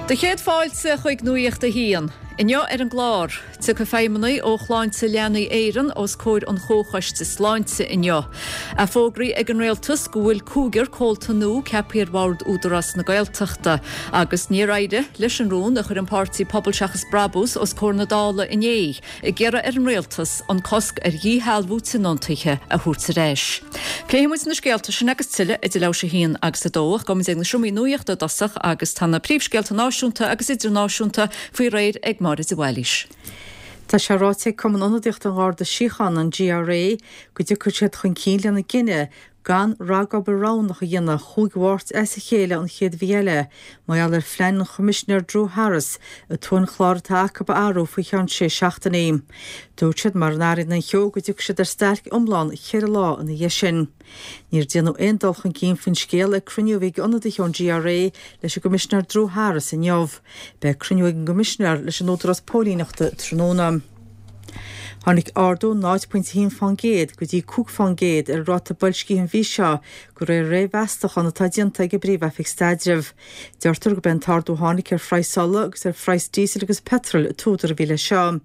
Do chéad fáilte chuig Nuacht a hAon. Inniu ar an gclár, tiocfaidh feidhmeannaigh ó Shláinte Leanaí Éireann os comhair an Chomhchoiste Sláinte inniu. É fógraithe ag an Rialtas go bhfuil cúigear comhalta nua ceaptha ar bhord Údarás na Gaeltachta. Agus níor éirigh leis an rún a chuir an páirtí Pobal Seachas Brabús os comhair na Dála inné. ag iarraidh ar an Rialtas an cosc ar dhíshealbhú tionóntaithe a thabhairt ar ais. Pléifidh muid na scéalta sin agus tuilleadh idir leathuair tar éis a haon agus a dó ach gabhfaidh muid ag na seomraí nuachta i dtosach agus tá na príomhscéalta náisiúnta agus idirnáisiúnta faoi réir ag Máire de Bhailís. Tá sé ráite ag Cumann Ionadaíochta an Gharda Síochána, an GRA, go dtiocfaidh siad chun cinn lena gcinneadh gan ragobair roghnach a dhéanamh chúig Mháirt as a chéile an chéad mhí eile, mar gheall ar phlean an Choimisinéir Drew Harris an t-uainchlár atá acu a athrú faoi cheann sé seachtainí. Dúirt siad mura n-athraíonn an cheo go dtiocfaidh siad ar stailc iomlán cheithre lá ina dhiaidh sin. Níor déanadh aon dul chun cinn faoin scéal ag cruinniú a bhí ag ionadaithe ón GRA leis an gCoimisinéir Drew Harris inniu. Beidh cruinniú ag an gCoimisinéir leis an Údarás Póilíneachta tráthnóna. Tháinig ardú 0.1% go dtí 5% ar an ráta boilscithe an mhí seo, de réir réamh-mheastachán atá déanta ag an bPríomh-Oifig Staidrimh. Deirtear gurb é an t-ardú a tháinig ar phraghas ola agus ar phraghas díosail agus peitril an t-údar a bhí leis seo.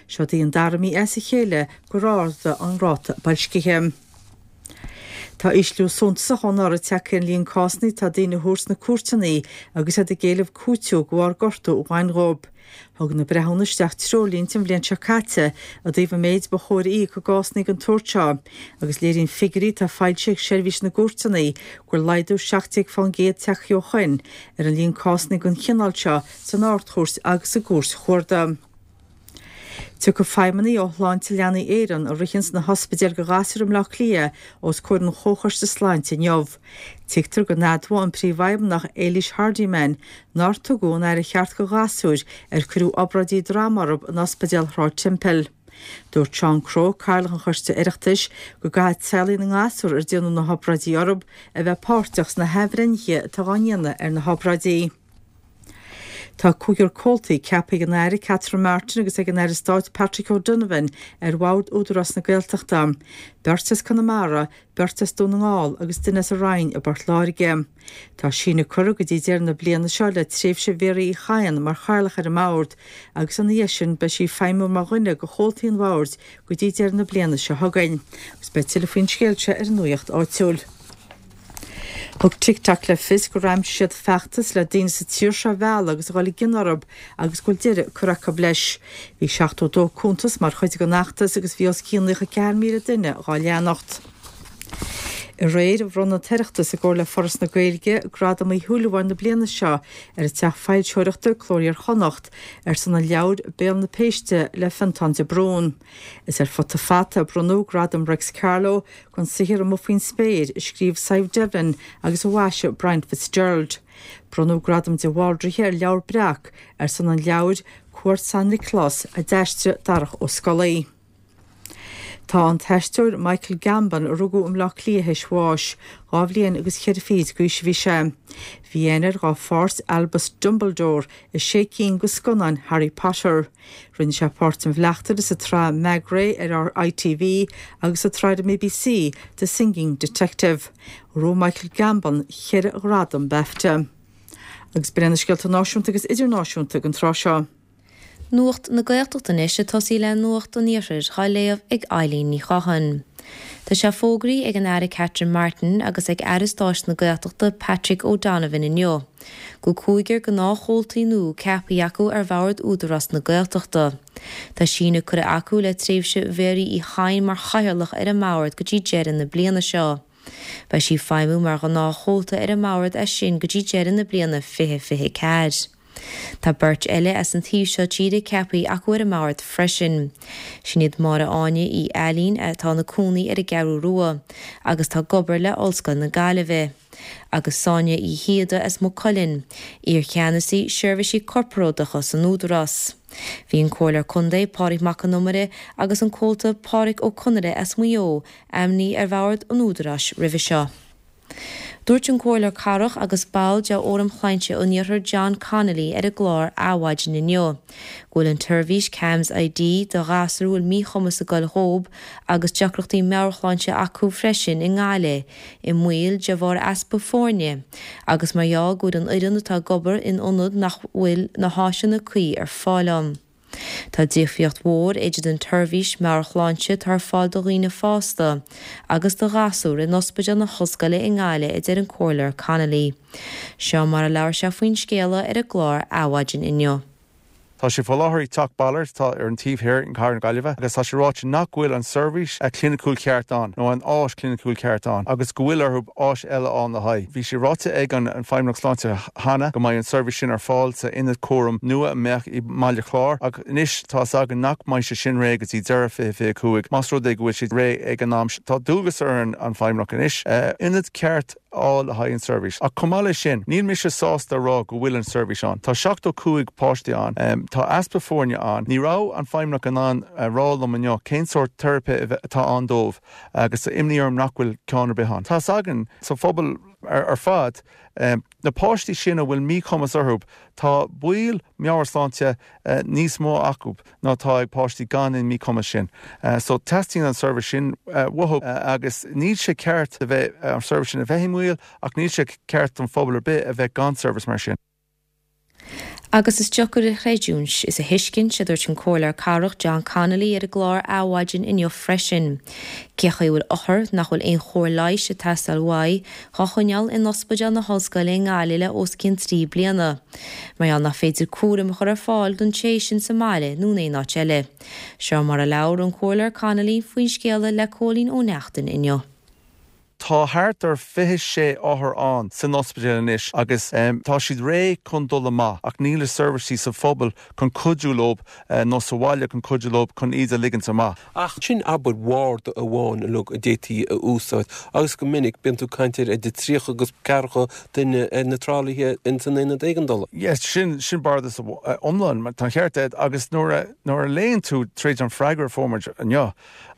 Seo í an dara mí as a chéile gur ardaíodh an ráta boilscithe. Tá ísliú suntasach ó anuraidh tagtha ar an líon cásanna atá daoine a thabhairt sna cúirteanna agus iad ag éileamh cúiteamh de bharr gortú a bhain dhóibh. Thug na breithiúna isteach treoirlínte an bhliain seo caite i dtaobh an méid ba chóir a íoc i gcásanna den tsórt seo agus léiríonn figiúirí atá foilsithe ag Seirbhís na gCúirteanna go bhfuil laghdú 17% tagtha ó shoin ar an líon cásanna den chineál seo san Ard-Chúirt agus sa gCúirt Chuarda. Tiocfaidh feidhmeannaigh ó Shláinte Leanaí Éireann, a ritheanns na hospidéil do ghasúir i mBleá Cliath, os comhair an Chomhchoiste Sláinte inniu. Tuigtear go n-admhóidh an Príomhfheidhmeannach Éilís Hardiman nár tugadh an aire cheart do ghasúir ar cuireadh obráidí droma orthu in Ospidéal Shráid Temple. Dúirt Seán Crowe, Cathaoirleach an Choiste Oireachtais, go gcaithfidh teaghlaigh na ngasúr ar déanadh na hobráidí orthu a bheith páirteach sna hathbhreithnithe atá á ndéanamh ar na hobráidí. Tá cúigear comhaltaí ceaptha ag an Aire Catherine Martin agus ag an Aire Stáit Patrick O'Donovan ar bhord Údarás na Gaeltachta, beirt as Conamara, beirt as Dún na nGall agus duine as an Rinn i bPort Láirge. Tá síneadh curtha go dtí deireadh na bliana seo le tréimhse Mhéaraí Uí Chadhain mar chathaoirleach ar an mbord agus ina dhiaidh sin beidh sí ag feidhmiú mar dhuine de chomhaltaí an bhoird go dtí deireadh na bliana seo chugainn. Agus beidh tuilleadh faoin scéal seo ar an Nuacht Áitiúil. Thug TikTok le fios gur aimsigh siad feachtas le daoine sa tír seo a mhealladh agus a dhul i gcion orthu agus go bhfuil deireadh curtha acu leis. Bhí 72 cuntas mar chuid den fheachtas agus bhí os cionn 94,000 duine dhá leanacht. Aréir, bhronn an tOireachtas, i gcomhar le Foras na Gaeilge, Gradam Uí Shúilleabháin na bliana seo ar an teach foilsitheoireachta, Cló Iar-Chonnacht, ar son an leabhair Béal na Péiste le Fionntán de Brún. Is ar Futa Fata a bronnadh Gradam Réics Carló Don saothar Amuigh Faoin Spéir, a scríobh Sadhbh Devlin agus a mhaisigh Brian Fitzgerald. Bronnadh Gradam de Bhaldraithe ar Leabhar Breac ar son an leabhair Cuairt San Nioclás a d'aistrigh Darach Ó Scolaí. Tá an t-aisteoir Michael Gambon, a rugadh i mBleá Cliath, théis bháis. Dhá bhliain agus cheithre fichid d'aois a bhí sé. Bhí aithne air dá pháirt Albus Dumbledore i sé cinn de scannáin Harry Potter. Rinne sé páirt an bhleachtaire sa tsraith Maigret ar ITV agus sa tsraith ar an mBBC The Singing Detective. Ghnóthaigh Michael Gambon cheithre ghradam BAFTA. Agus b'in iad na scéalta náisiúnta agus idirnáisiúnta don tráth seo. Nuacht na Gaeltachta anois ag tosaí le Nuacht an Iarthair dhá léamh ag Eileen Ní Chatháin. Tá sé fógraithe ag an Aire Catherine Martin agus ag Aire Stáit na Gaeltachta Patrick O'Donovan inniu go bhfuil cúigear gnáthchomhaltaí nua ceaptha acu ar bhord Údarás na Gaeltachta. Tá síneadh curtha acu le tréimhse Mhéaraí Uí Chadhain mar chathaoirleach ar an mbord go dtí deireadh na bliana seo. Beidh sí ag feidhmiú mar ghnáthchomhalta ar an mbord as sin go dtí deireadh na bliana 2024. Tá beirt eile as an taobh seo tíre ceaptha acu ar an mbord freisin. Sin iad Máire Áine Uí Ailín atá ina cónaí ar an gCeathrú Rua agus atá ag obair le Ollscoil na Gaillimhe, agus Sonia Uí Shíoda as Maigh Cuilinn, iar-cheannasaí seirbhísí corparáideacha san Údarás. Bhí an Comhairleoir Contae Pádraig Mac Con Iomaire agus an Comhalta Pádraig Ó Conaire as Maigh Eo ainmnithe ar bhord an Údaráis roimhe seo. Dúirt an Comhairleoir Cathrach agus ball de Fhóram Shláinte an Iarthair John Connolly ar an gclár Adhmhaidin inniu go bhfuil an tseirbhís CAMHS ID do ghasúir a bhfuil míchumas ag goil dhób agus deacrachtaí meabhairshláinte acu freisin i nGaillimh i mbaol de bharr easpa foirne agus mar gheall go bhfuil an fhoireann atá ag obair in ionad nach bhfuil na háiseanna cuí ar fáil ann. Tá difríocht mhór idir an tseirbhís meabhairshláinte atá ar fáil do dhaoine fásta agus do ghasúir in Ospidéal na hOllscoile i nGaillimh a deir an Comhairleoir Connolly. Seo mar a labhair sé faoin scéala ar an gclár Adhmhaidin inniu. Tá sé faoi láthair i dTeach Ballard atá ar an taobh thoir in Cathair na Gaillimhe agus tá sé ráite nach bhfuil an seirbhís chliniciúil cheart ann nó an áis chliniciúil ceart ann agus go bhfuil orthu áis eile a fháil le haghaidh. Bhí sé ráite ag an Feidhmeannacht Sláinte cheana go mbeidh an seirbhís sin ar fáil sa ionad cúraim nua a mbeadh i mBaile Chláir ach anois tá 'fhios againn nach mbeidh sé sin réidh go dtí deireadh 2025 más rud é go bhfuil sé réidh ag an am sin. Tá dualgas ar an Feidhmeannacht anois ionad ceart a fháil le haghaidh an seirbhís. Ach chomh maith leis sin, níl mise sásta a rá go bhfuil an seirbhís ann. Tá 75 páiste ann. Tá easpa foirne ann. Ní raibh an Feidhmeannach in ann a rá liom inniu cén sórt teiripe atá ann dóibh agus tá imní orm nach bhfuil ceann ar bith ann. Tá's againn sa phobal ar fad, na páistí sin a bhfuil míchumas orthu, tá baol meabhairshláinte níos mó acu ná atá ag páistí gan an míchumas sin. So teastaíonn an seirbhís sin uathu agus níl sé ceart a bheith, an seirbhís sin a bheith i mbaol ach níl sé ceart don phobal ar bith a bheith gan seirbhís mar sin. Agus is deacair a chreidiúint is a thuiscint, a dúirt an Comhairleoir Cathrach John Connolly ar an gclár Adhmhaidin inniu freisin, cé chaoi a bhfuil othar nach bhfuil aon chóir leighis ag teastáil uaidh dhá choinneáil in Ospidéal na hOllscoile i nGaillimh le os cionn 3 bliana. Mar gheall nach féidir cúram a chur ar fáil don té sin sa mbaile nó in aon áit eile. Seo mar a labhair an Comhairleoir Connolly faoin scéala le Cóilín Ó Neachtain inniu. Tá thart ar 26 othar ann san ospidéal anois agus tá siad réidh chun dul amach ach níl na seirbhísí sa phobal chun cuidiú leo nó sa bhaile chun cuidiú leo chun iad a ligint amach. Ach sin abair bharda amháin uilig a d'fhéadfaí a úsáid agus go minic bíonn tú ag caint ar idir 30 agus ceathracha duine ar na tralaithe ins an aonad éigeandála. Yes, sin, sin bardas iomlán, tá an ceart agat agus nuair a, nuair a léann tú tríd an freagra a fuair muid inniu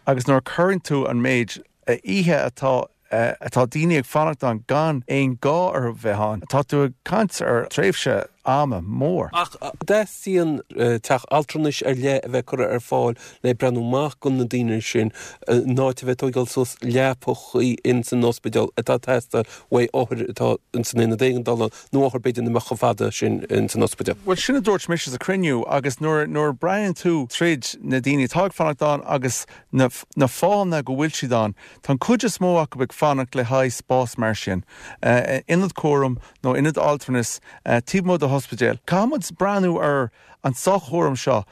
agus nuair a cuireann tú an méid oíche atá atá daoine ag fanacht ann gan aon gá orthu bheith ann, tá tú ag caint ar tréimhse ama mór. Ach teastaíonn teach altranais ar leith a bheith curtha ar fáil le breathnú amach do na daoine sin, in áit a bheith ag tógáil suas leapachaí ins an ospidéal atá ag teastáil uaidh othair atá ins an aonad éigeandála nó othair b'fhéidir nach mbeadh chomh fada sin ins an ospidéal. Bhuel, sin a dúirt mise sa chruinniú agus nuair nuair a breathnaíonn tú tríd na daoine atá ag fanacht ann agus na na fáthanna go bhfuil siad ann, tá an cuid is mó acu ag fanacht le haghaidh spás mar sin, ionad cúraim nó ionad altranais taobh amuigh de hospidéal. Caithfidh muid breathnú ar an soch-chúram seo,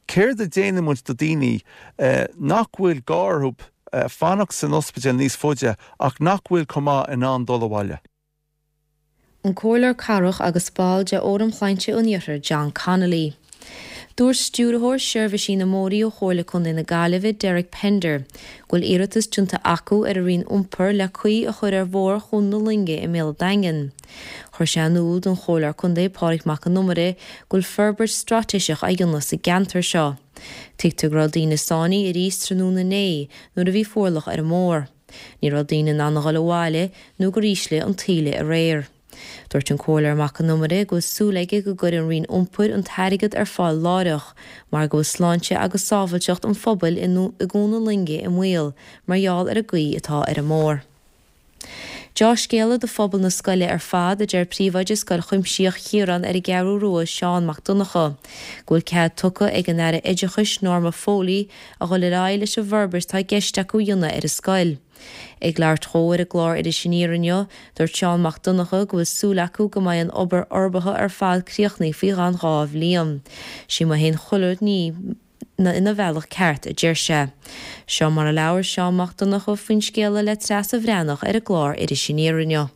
céard a déanann muid do daoine nach bhfuil gá orthu fanacht san ospidéal níos faide ach nach bhfuil chomh maith in ann dul abhaile. An Comhairleoir Cathrach agus ball de Fhóram Shláinte an Iarthair, John Connolly. Dúirt Stiúrthóir Seirbhísí na mBóithrí ó Chomhairle Contae na Gaillimhe, Derek Pender, go bhfuil iarratas déanta acu ar an Roinn Iompair le caoi a chur ar Bhóthar Chuan na Loinge i mBéal an Daingin. Chuir sé in iúl don Chomhairleoir Contae Pádraig Mac Con Iomaire go bhfuil forbairt straitéiseach á dhéanamh sa gceantar seo. Tuigtear go raibh daoine sáinnithe arís tráthnóna inné nuair a bhí fuarlach ar an mbóthar. Ní raibh daoine in ann a dhul abhaile nó gur ísligh an taoille aréir. Dúirt an Comhairleoir Mac Con Iomaire go bhfuil súil aige go gcuirfidh an Roinn Iompair an t-airgead ar fáil láithreach mar go bhfuil sláinte agus sábhailteacht an phobail i gCuan na Loinge i mbaol mar gheall ar an gcaoi atá ar an mbóthar. Deá-scéala do phobal na scoile ar fad, a deir Príomhoide Scoil Chuimsitheach Chiaráin ar an gCeathrú Rua, Seán Mac Donncha, go bhfuil cead tugtha ag an Aire Oideachais Norma Foley a dhul ar aghaidh leis an bhforbairt atá i gceist acu a dhéanamh ar an scoil. Ag labhairt dhó ar an gclár Iris Aniar inniu, dúirt Seán Mac Donncha go bhfuil súil acu go mbeidh an obair fhorbartha ar fad críochnaithe faoi cheann 2 bhliain. Sí má théann chuile ní ina bhealach ceart, a deir sé. Seo mar a labhair Seán Mac Donncha faoin scéala le Treasa Bhreathnach ar an gclár Iris Aniar inniu.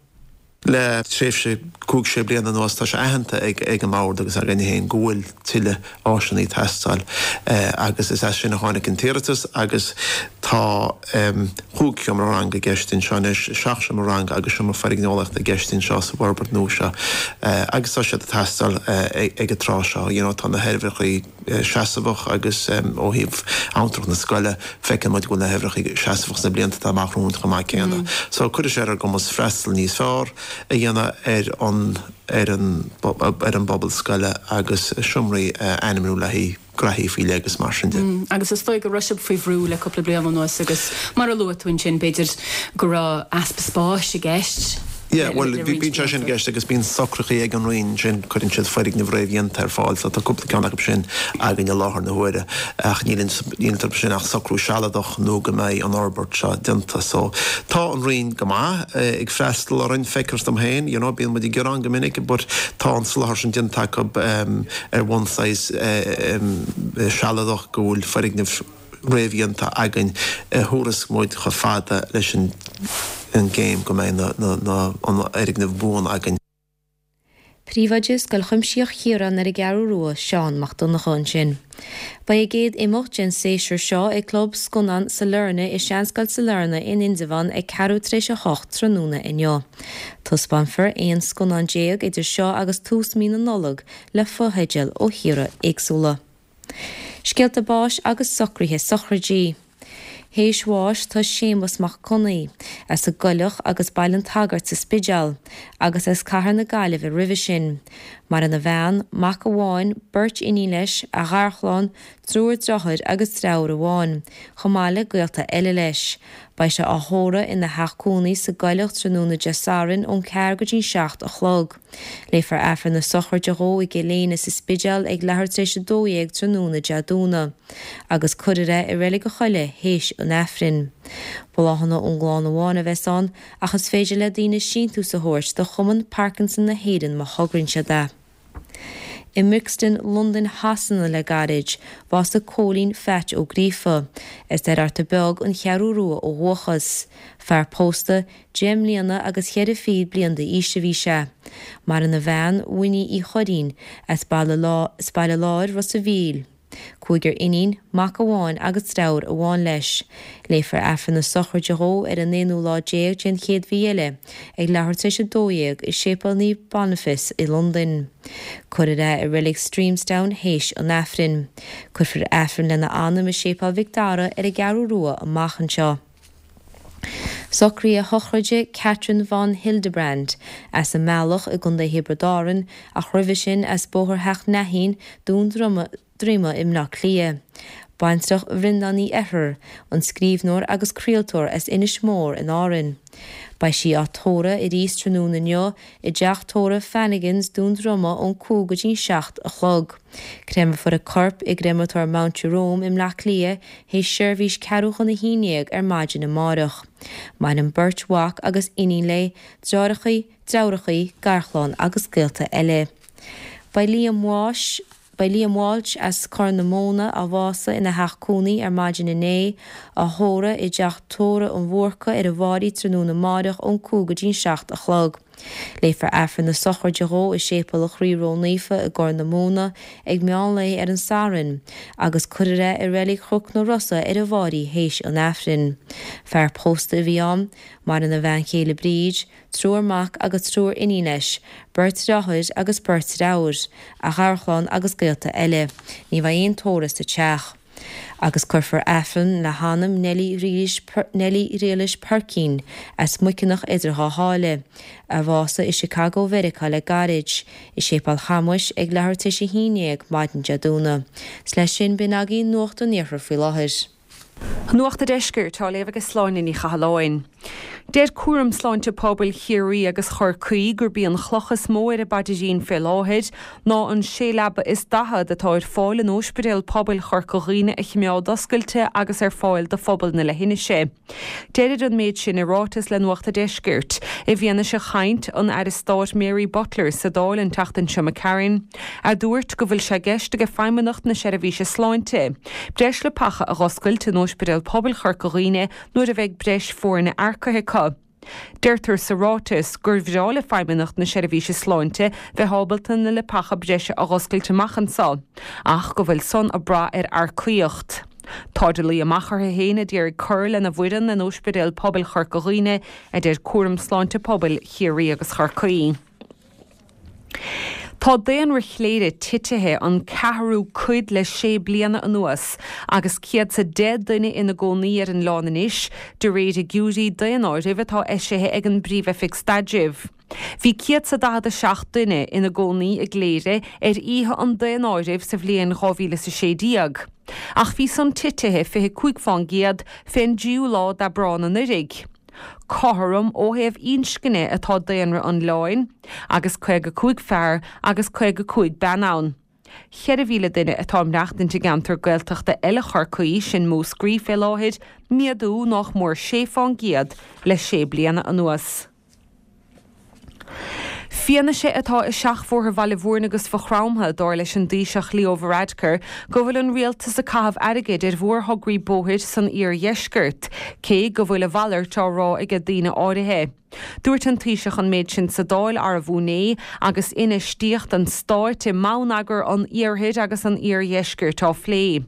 Le tréimhse chúig, sé bliana anuas tá sé aitheanta ag an mBord agus againne féin go bhfuil tuilleadh áiseanna ag teastáil agus is as sin a tháinig an t-iarratas agus tá chúig sheomra ranga i gceist anseo anois, seacht seomra ranga agus seomra foirgneolaíochta i gceist anseo sa bhforbairt nua seo agus tá siad ag teastáil ag an tráth seo. You know tá na hoibreacha. seasmhach agus ó thaobh abhantrach na scoile, feiceann muid go bhfuil na huimhreacha seasmhach sna blianta atá amach romhainn chomh maith céanna. So cuirfidh sé ar ár gcumas freastal níos fearr a dhéanamh ar an ar an ar an bpobal scoile agus seomraí a ainmniú le haghaidh graithí faoi leith agus mar sin de. Agus is dóigh go raibh sibh faoi bhrú le cúpla bliain anuas agus mar a luaigh tú ansin, b'fhéidir go raibh easpa spáis i gceist Yeah, bhuel, bíonn sé sin i gceist agus bíonn socruithe ag an Roinn ansin, cuireann siad foirgnimh réamhdhéanta ar fáil, so tá cúpla ceann acu sin againn i láthair na huaire ach níl iontu sin ach socrú sealadach nó go mbeidh an fhorbairt seo déanta. So tá an Roinn go maith ag freastal orainn, feictear dom féin, you know, bíonn muid ag gearán go minic but tá an soláthar sin déanta acu ar bhonn saghas sealadach go bhfuil foirgnimh réamhdhéanta againn a thabharfas muid chomh fada leis an gcéim go mbeidh an fhoirgneamh buan againn. Príomhoide Scoil Chuimsitheach Chiaráin ar an gCeathrú Rua, Seán Mac Donncha ansin. Beidh a gcéad imeacht den séasúr seo ag Club Scannán Sailearna i Seanscoil Sailearna in Indreabhán ag ceathrú tar éis 8 tráthnóna inniu. Taispeánfar 11 scannán idir seo agus tús mí na Nollag le fotheidil ó thíortha éagsúla. Scéalta báis agus socruithe sochraidí. Théis bháis tá Séamus Mac Connaí, as an gCoileach agus Baile an tSagairt sa Spidéal, agus as Cathair na Gaillimhe roimhe sin. Maireann a bhean, mac amháin, beirt iníon leis, a gharchlann, triúr deartháir agus deirfiúr amháin, chomh maith le gaolta eile leis. Beidh sé á thórramh ina theach cónaí sa gCoileach tráthnóna Dé Sathairn ón ceathair go dtí'n 7 a chlog. Léifear Aifreann na sochraide dhó i gCill Éinne sa Spidéal ag leathuair tar éis 12 tráthnóna Dé Domhnaigh, agus cuirfear é i Reilig an Choilligh théis an Aifrinn. Bláthanna ón gclann amháin a bheas ann, ach is féidir le daoine síntiús a thabhairt do Chumann Parkinson na hÉireann má thograíonn siad é. I mBrixton, Londain Shasana le gairid, bhásaigh Cóilín Pheait Ó Gríofa, as Doire Fhearta Beag, An Cheathrú Rua ó dhúchas. Fear pósta, 10 mbliana agus cheithre fichid bliain d'aois a bhí sé. Maireann a bhean, Winnie Uí Churraoin, as Baile Láir, Ros a' Mhíl. Cúigear iníon, mac amháin agus deartháir amháin leis. Léifear Aifreann na sochraide dhó ar an aonú lá déag den chéad mhí eile, ag leathuair tar éis 12 i Séipéal Naomh Boniface i Londain. Cuirfear é i Reilig Streamsdown théis an Aifrinn. Cuirfear Aifreann lena anam i Séipéal Mhic Dara ar an gCeathrú Rua amach anseo. Socruithe sochraide Catherine von Hildebrand, as an mBealach i gContae Thiobraid Árann, ach roimhe sin as Bóthar Theach Neaichín, Dún Droma i mBleá Cliath. Baintreach Bhreandáin Uí Eithir, an scríbhneoir agus craoltóir as Inis Mór in Árainn. Beidh sí á tórramh arís tráthnóna inniu i dteach tórraimh Fanagans, Dún Droma ón 5 go dtí'n 7 a chlog. Créamfar a corp i gCréamatóir Mount Jerome i mBleá Cliath théis seirbhís ceathrú chun a haon dhéag ar maidin amáireach. Maireann beirt mhac agus iníon léi, deartháireachaí, deirfiúrachaí, garchlann agus gaolta eile. Beidh Liam Walsh Beidh Liam Walsh as Corr na Móna, a bhásaigh ina theach cónaí ar maidin inné, á thórramh i dTeach Tórraimh an Bhúrca ar an bhFairche tráthnóna amáireach ón 5 go dtí'n 7 a chlog. Léifear Aifreann na sochraide dhó i Séipéal an Chroí Ró-Naofa i gCorr na Móna ag meán lae ar an Satharn agus cuirfear é i Reilig Chnoc na Rosa ar an bhFairche théis an Aifrinn. Fear pósta a bhí ann. Maireann a bhean chéile Bríd, triúr mac agus triúr iníon leis, beirt dheartháir agus beirt deirfiúr, a gharchlann agus gaolta eile. Ní bheidh aon tórramh sa teach. Agus cuirfear Aifreann le hanam Neilí Ghriallais Peircín, as Muiceanach idir Dhá Sháile, a bhásaigh i Chicago Mheiriceá le gairid, i Séipéal Chamuis ag leathuair tar éis a haon dhéag maidin Dé Domhnaigh. 'S leis sin, b'in agaibh Nuacht an Iarthair faoi láthair. Nuacht a' Deiscirt á léamh ag Sláine Ní Chathalláin. Deir Cúram Sláinte Pobail Chiarraí agus Chorcaí gurb í an chloch is mó ar a bpaidrín fé láthair ná an sé leaba is 40 atá ar fáil in Óispidéal Pobail Chorca Dhuibhne a chimeád oscailte agus ar fáil do phobal na leithinise. Deirid an méid sin i ráiteas le Nuacht a' Deiscirt, i bhfianaise chaint an Aire Stáit Mary Butler sa Dáil an tseachtain seo imigh tharainn, a dúirt go bhfuil sé i gceist ag Feidhmeannacht na Seirbhíse Sláinte breis leapacha a dh'oscailt in Óispidéal Pobail Chorca Dhuibhne nuair a bheidh breis foirne earcaithe acu. Deirtear sa ráiteas gur bhreá le Feidhmeannacht na Seirbhíse Sláinte bheith ábalta na leapacha breise a dh'oscailt amach anso, ach go bhfuil san ag brath ar earcaíocht. Táid ag luí amach orthu féin a d'iarraidh cur lena bhfoireann in Óispidéal Pobail Chorca Dhuibhne, a deir Cúram Sláinte Pobail Chiarraí agus Chorcaí. Tá daonra Chléire titithe an ceathrú cuid le sé bliana anuas agus 110 duine ina gcónaí ar an oileán anois, de réir fhigiúirí daonáirimh atá eisithe ag an bPríomh-Oifig Staidrimh. Bhí 147 duine ina gcónaí i gCléire ar oíche an daonáirimh sa bhliain 2016, ach bhí san titithe 25 fán gcéad fén dtríú lá d'Aibreán anuiridh. Cothrom ó thaobh inscne atá daonra an oileáin, agus 55 fear agus 55 bean ann. 4,000 duine atá ag maireachtaint i gceantar Gaeltachta eile Chorcaí, sin Múscraí, fé láthair, méadú nách mór 6 fán gcéad le sé bliana anuas. Fianaise atá i seachbhóithre Bhaile Bhúirne agus Mhaigh Chromtha, dar leis an dTaoiseach Leo Varadkar, go bhfuil an rialtas ag caitheamh airgid ar mhórthograí bóthair san iardheisceart, cé go bhfuil a mhalairt á rá aige daoine áirithe. Dúirt an Taoiseach an méid sin sa Dáil arbh inné agus infheistíocht an stáit i mbonneagar an iarthair agus an iardheiscirt á phlé.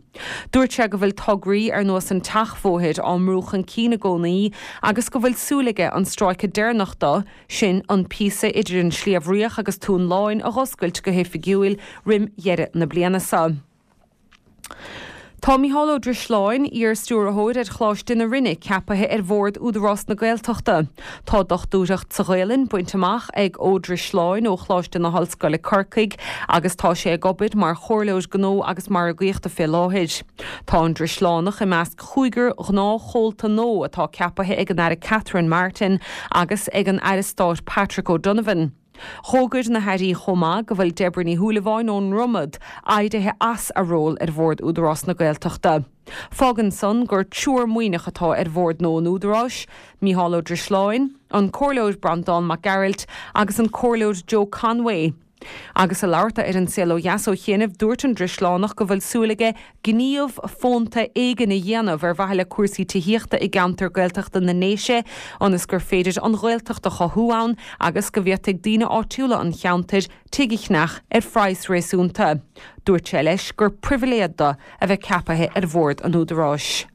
Dúirt sé go bhfuil tograí ar nós an tseachbhóthair á mbrú chun cinn i gcónaí agus go bhfuil súil aige an stráice deireanach de, sin an píosa idir an Sliabh Riach agus Tóin Láin a dh'oscailt go hoifigiúil roim dheireadh na bliana seo. Tá Micheál Ó Drisleáin, iar-stiúrthóir ar Choláiste na Rinne, ceapaithe ar bhord Údarás na Gaeltachta. Tá dochtúireacht sa Ghaelainn bainte amach ag Ó Drisleáin ó Choláiste na hOllscoile Corcaigh agus tá sé ag obair mar chomhairleoir gnó agus margaíochta fé láthair. Tá an Drisleánach i measc chúigear gnáthchomhalta nua atá ceapaithe ag an Aire Catherine Martin agus ag an Aire Stáit Patrick O'Donovan. D'fhógair na hairí chomh maith go bhfuil Deborah Ní Shúilleabháin ón nDromad éirithe as a ról ar bhord Údarás na Gaeltachta. Fágann san gur triúr Muimhneach atá ar bhord nua an Údaráis, Micheál Ó Drisleáin, an Comhairleoir Breandán Mac Gearailt agus an Comhairleoir Joe Conway. Agus ag labhairt dó ar An Saol Ó Dheas ó chianaibh, dúirt an Drisleánach go bhfuil súil aige gníomh fónta éigin a dhéanamh ar mhaithe le cúrsaí tithíochta i gceantar Gaeltachta na nDéise ionas gur féidir an Ghaeltacht a chothú ann agus go bhféadfaidh daoine áitiúla an cheantair tigh a cheannach ar phraghas réasúnta. Dúirt sé leis gur pribhléid dó a bheith ceapaithe ar bhord an Údaráis.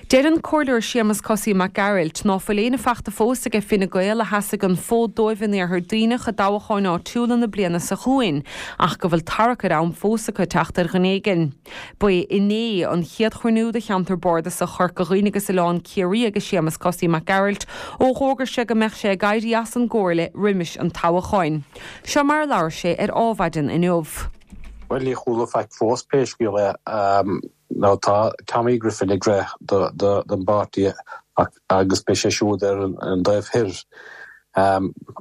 Deir an Comhairleoir Séamus Cosaí Mac Gearailt ná fuil éinne fachta fós aige Fine Gael a sheasfaidh an fód dóibh in Iarthar Duibhneach i dtoghcháin áitiúla na bliana seo chugainn ach go bhfuil tarrac ar am fós acu teacht ar dhuine éigin. Ba é inné an chéad chruinniú do cheantar bardasach Chorca Dhuibhne agus Oileán Ciarraí aige Séamus Cosaí Mac Gearailt ó dh'fhógair sé go mbeadh sé ag éirí as an gComhairle roimis an toghacháin. Seo mar a labhair sé ar Ádhmhaidin inniu. Bhuel, níor chuala faic fós, pé scéal é. Now tá Tommy Griffin ag rith don bpáirtí agus beidh sé siúd ar an dtaobh thoir.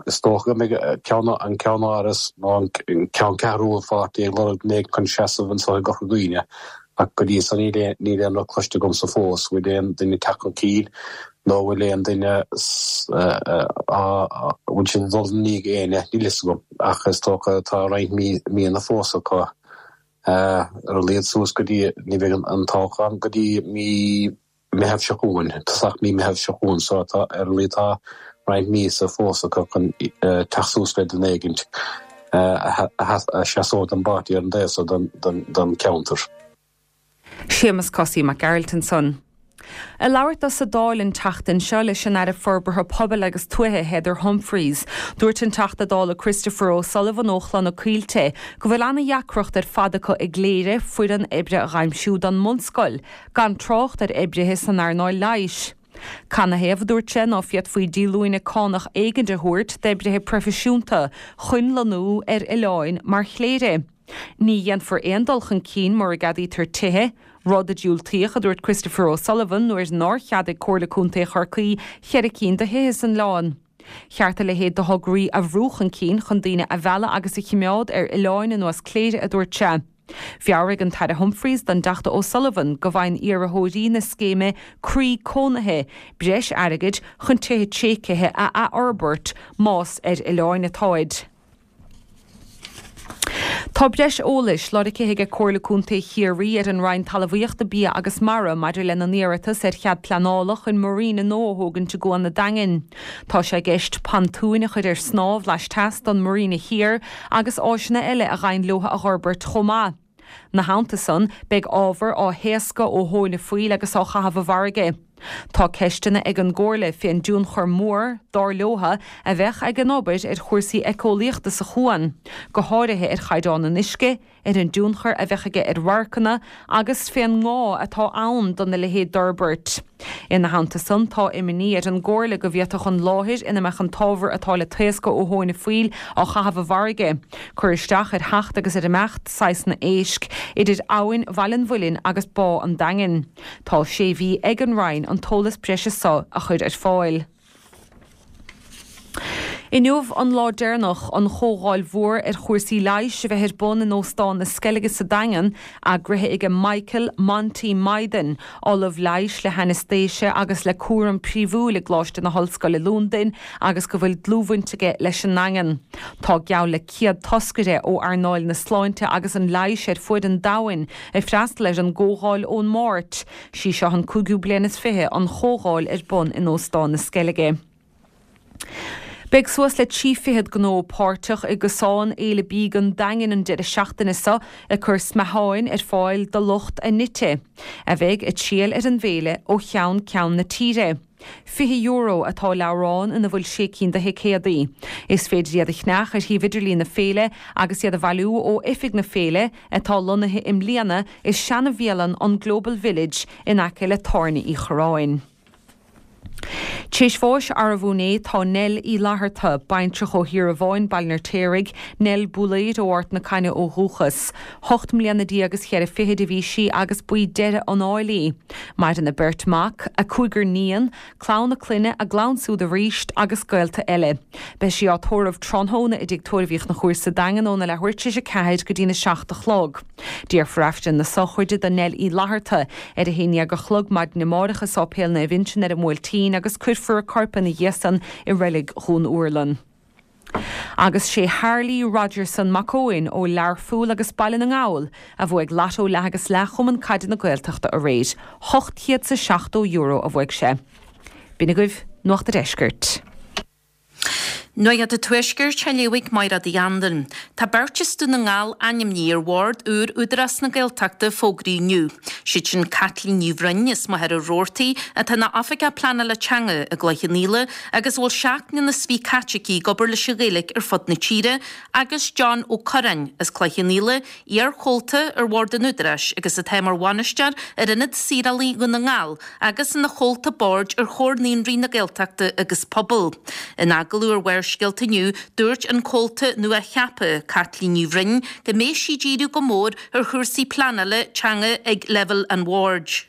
Is dócha go mbeidh an ceann-áras nó an ceanncheathrú an pháirtí ag lorg duine éigin chun seasamh anseo i gCorca Dhuibhne ach go dtí san níl aon rud cloiste agamsa fós. Bhfuil aon duine ag teacht chun cinn nó bhfuil aon duine, bhfuil siad ag dul i ndiaidh éinne? Níl fhios agam ach is dócha tá roinnt míonna fós acu. Ar a laghad suas go dtí, ní bheidh an toghchán go dtí mí Meitheamh seo chugainn, tosach mí Meitheamh seo chugainn, so tá, ar a laghad tá roinnt míosa fós acu chun teacht suas le duine éigint a sheasóidh don bpáirtí ar an dtaobh so den cheantar. Séamus Cosaí Mac Gearailt ansan. Ag labhairt dó sa Dáil an tseachtain seo leis an Aire Forbartha Pobail agus Tuaithe Heather Humphreys, dúirt an Teachta Dála Christopher O'Sullivan ó Chloich na Coillte go bhfuil ana-dheacracht ar fad acu i gCléire foireann oibre a dh'aimsiú don mbunscoil, gan trácht ar oibrithe san earnáil leighis. Canathaobh, a dúirt sé, ná féadfaí díolúine cánach éigin a thabhairt d'oibrithe proifisiúnta chun lonnú ar oileáin mar Chléire? Ní dhéanfar aon dul chun cinn mura gceadaítear tithe, rud a diúltaíodh, a dúirt Christopher O'Sullivan nuair nár cheadaigh Comhairle Contae Chorcaí cheithre cinn de thithe san oileán. Cheart a leithéid de thograí a bhrú chun cinn chun daoine a mhealladh agus a chimeád ar oileáin ar nós Cléire, a dúirt sé. Mheabhraigh an tAire Humphreys don dTeachta O'Sullivan go bhfaigheann iarrthóirí na scéime Croí Cónaithe breis airgid chun tithe tréigthe a athfhorbairt más ar oileáin atáid. Tá breis eolais lorgtha aige Comhairle Contae Chiarraí ar an Roinn Talmhaíochta, Bia agus Mara maidir lena n-iarratas ar chead pleanála chun marina nua a thógaint i gCuan an Daingin. Tá sé i gceist pontúin a chur ar snámh laisteas don Marina Thiar agus áiseanna eile a ghabhann leo a dh'fhorbairt chomh maith. 'Na theannta san, beidh ábhar á thaoscadh ó thóin an phoill agus á chaitheamh i bhfarraige. Tá ceisteanna ag an gComhairle fén dtionchar mór, dar leotha, a bheadh ag an obair ar chúrsaí éiceolaíochta sa chuan, go háirithe ar chaighdeán an uisce, ar an dtionchar a bheadh aige ar radharcanna agus fén ngá atá ann dona leithéid d'fhorbairt. Ina theannta san, tá imní ar an gComhairle go bhféadfadh an láthair ina mbeadh an t-ábhar atá le taoscadh ó thóin an phoill á chaitheamh i bhfarraige, cur isteach ar theacht agus ar imeacht saghsanna éisc idir abhainn Bhaile an Mhuilinn agus Bá an Daingin. Tá sé mhí ag an Roinn an t-eolas breise so a chur ar fáil. Inniu an lá deireanach an chomhdháil mhór ar chúrsaí leighis a bheith ar bun in Óstán na Sceilge sa Daingean, eagraithe aige Michael 'Monty' Mythen, Ollamh Leighis le hAinéistéise agus le Cúram Príomhúil i gColáiste na hOllscoile Londain agus go bhfuil dlúthbhaint aige leis an nDaingean. Tá geall le 100 toscaire ó earnáil na sláinte agus an leighis ar fuaid an domhain ag freastal ar an gcomhdháil ón Máirt. Sí seo an cúigiú bliain is 20 an chomhdháil ar bun in Óstán na Sceilge. Beidh suas le 30 fichead gnó páirteach i gcosán Fhéile Bídh an Daingin an deireadh seachtaine seo ag cur smeatháin ar fáil do lucht a n-ite, a bheidh ag triall ar an bhféile ó cheann ceann na tíre. €20 atá leabhrán ina bhfuil sé cinn de thicéadaí. Is féidir iad a cheannach ar shuíomh idirlín na féile agus iad a bhailiú ó oifig na féile, atá lonnaithe i mbliana i seana-bhialann an Global Village in aice le Tábhairne Uí Chorráin. T'éis bháis arbh inné tá Nell Uí Fhlatharta, baintreach ó Thír an Bháin, Baile an Fheirtéaraigh, Nell Builéir ó Ard na Caithne ó dhúchas. Hocht mbliana déag is cheithre fichid a bhí sí agus ba í deireadh an áil í. Maireann a beirt mac, a cúigear níon, clann a clainne, a gclann siúd aríst agus gaolta eile. Beidh sí á tórramh tráthnóna i dTigh Tórraimh Uí Chonchúir sa Daingean óna leathuair tar éis a ceathair go dtína seacht a chlog. Déarfar Aifreann na sochraide do Nell Uí Fhlatharta ar a haon dhéag a chlog maidin amárach i Sáipéal Naomh Uinseann ar an mBuailtín agus cuirfear a corp ina dhiaidh san i Reilig Dhún Úrlann. Agus sé Harley Rogerson Mac Eoin ó Learpholl agus Baile na nGall a bhuaigh Lotto Leath agus Leath Chumann Caide na Gaeltachta aréir. €870 a bhuaigh sé. B'in agaibh Nuacht a' Deiscirt. Nuacht an Tuaiscirt á léamh ag Mairéad Uí Anluain. Tá beirt as Dún na nGall ainmnithe ar bhord úr Údarás na Gaeltachta a fógraíodh inniu. Siad sin Caitlín Ní Bhroin as Machaire Rabhartaigh atá ina Oifigeach Pleanála Teanga i gCloich Cheann Fhaola agus a bhfuil 7 mbliana is 20 caite aici ag obair leis an Ghaeilge ar fud na tíre agus John Ó Curráin as Cloich Cheann Fhaola, iar-chomhalta ar bhord an Údaráis agus atá mar bhainisteoir ar Ionad Saorálaí Dhún na nGall agus ina chomhalta boird ar Chomhar Naíonraí na Gaeltachta agus Pobal. In agallamh ar Bharrscéalta inniu, dúirt an comhalta nua-cheaptha, Caitlín Ní Bhroin, go mbeidh sí ag díriú go mór ar chúrsaí pleanála teanga ag leibhéal an bhoird.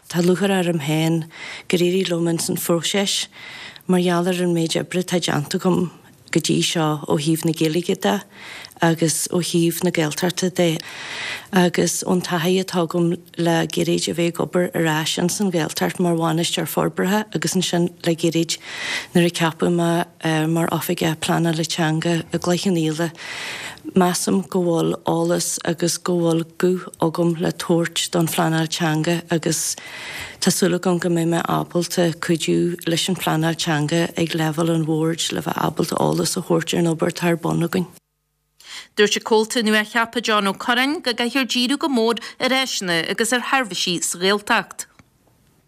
Tá lúcháir orm féin gur éirigh liom ins an phróiseas mar gheall ar an méid oibre atá déanta agam go dtí seo ó thaobh na Gaeilge de agus ó thaobh na Gaeltachta de agus ón taithí atá agam le gairid a bheith ag obair ar ais ins an Ghaeltacht mar bhainisteoir forbartha agus ansin le gairid nuair a ceapadh mé mar Oifigeach Pleanála Teanga i gCloich Cheann Fhaola. Measaim go bhfuil eolas agus go bhfuil guth agam le tabhairt don phleanáil teanga agus tá súil agam go mbeidh mé ábalta cuidiú leis an phleanáil teanga ag leibhéal an bhoird le bheith ábalta eolas a thabhairt ar an obair atá ar bun againn. Dúirt an comhalta nua-cheaptha John Ó Curráin go gcaithfear díriú go mór ar áiseanna agus ar sheirbhísí sa Ghaeltacht.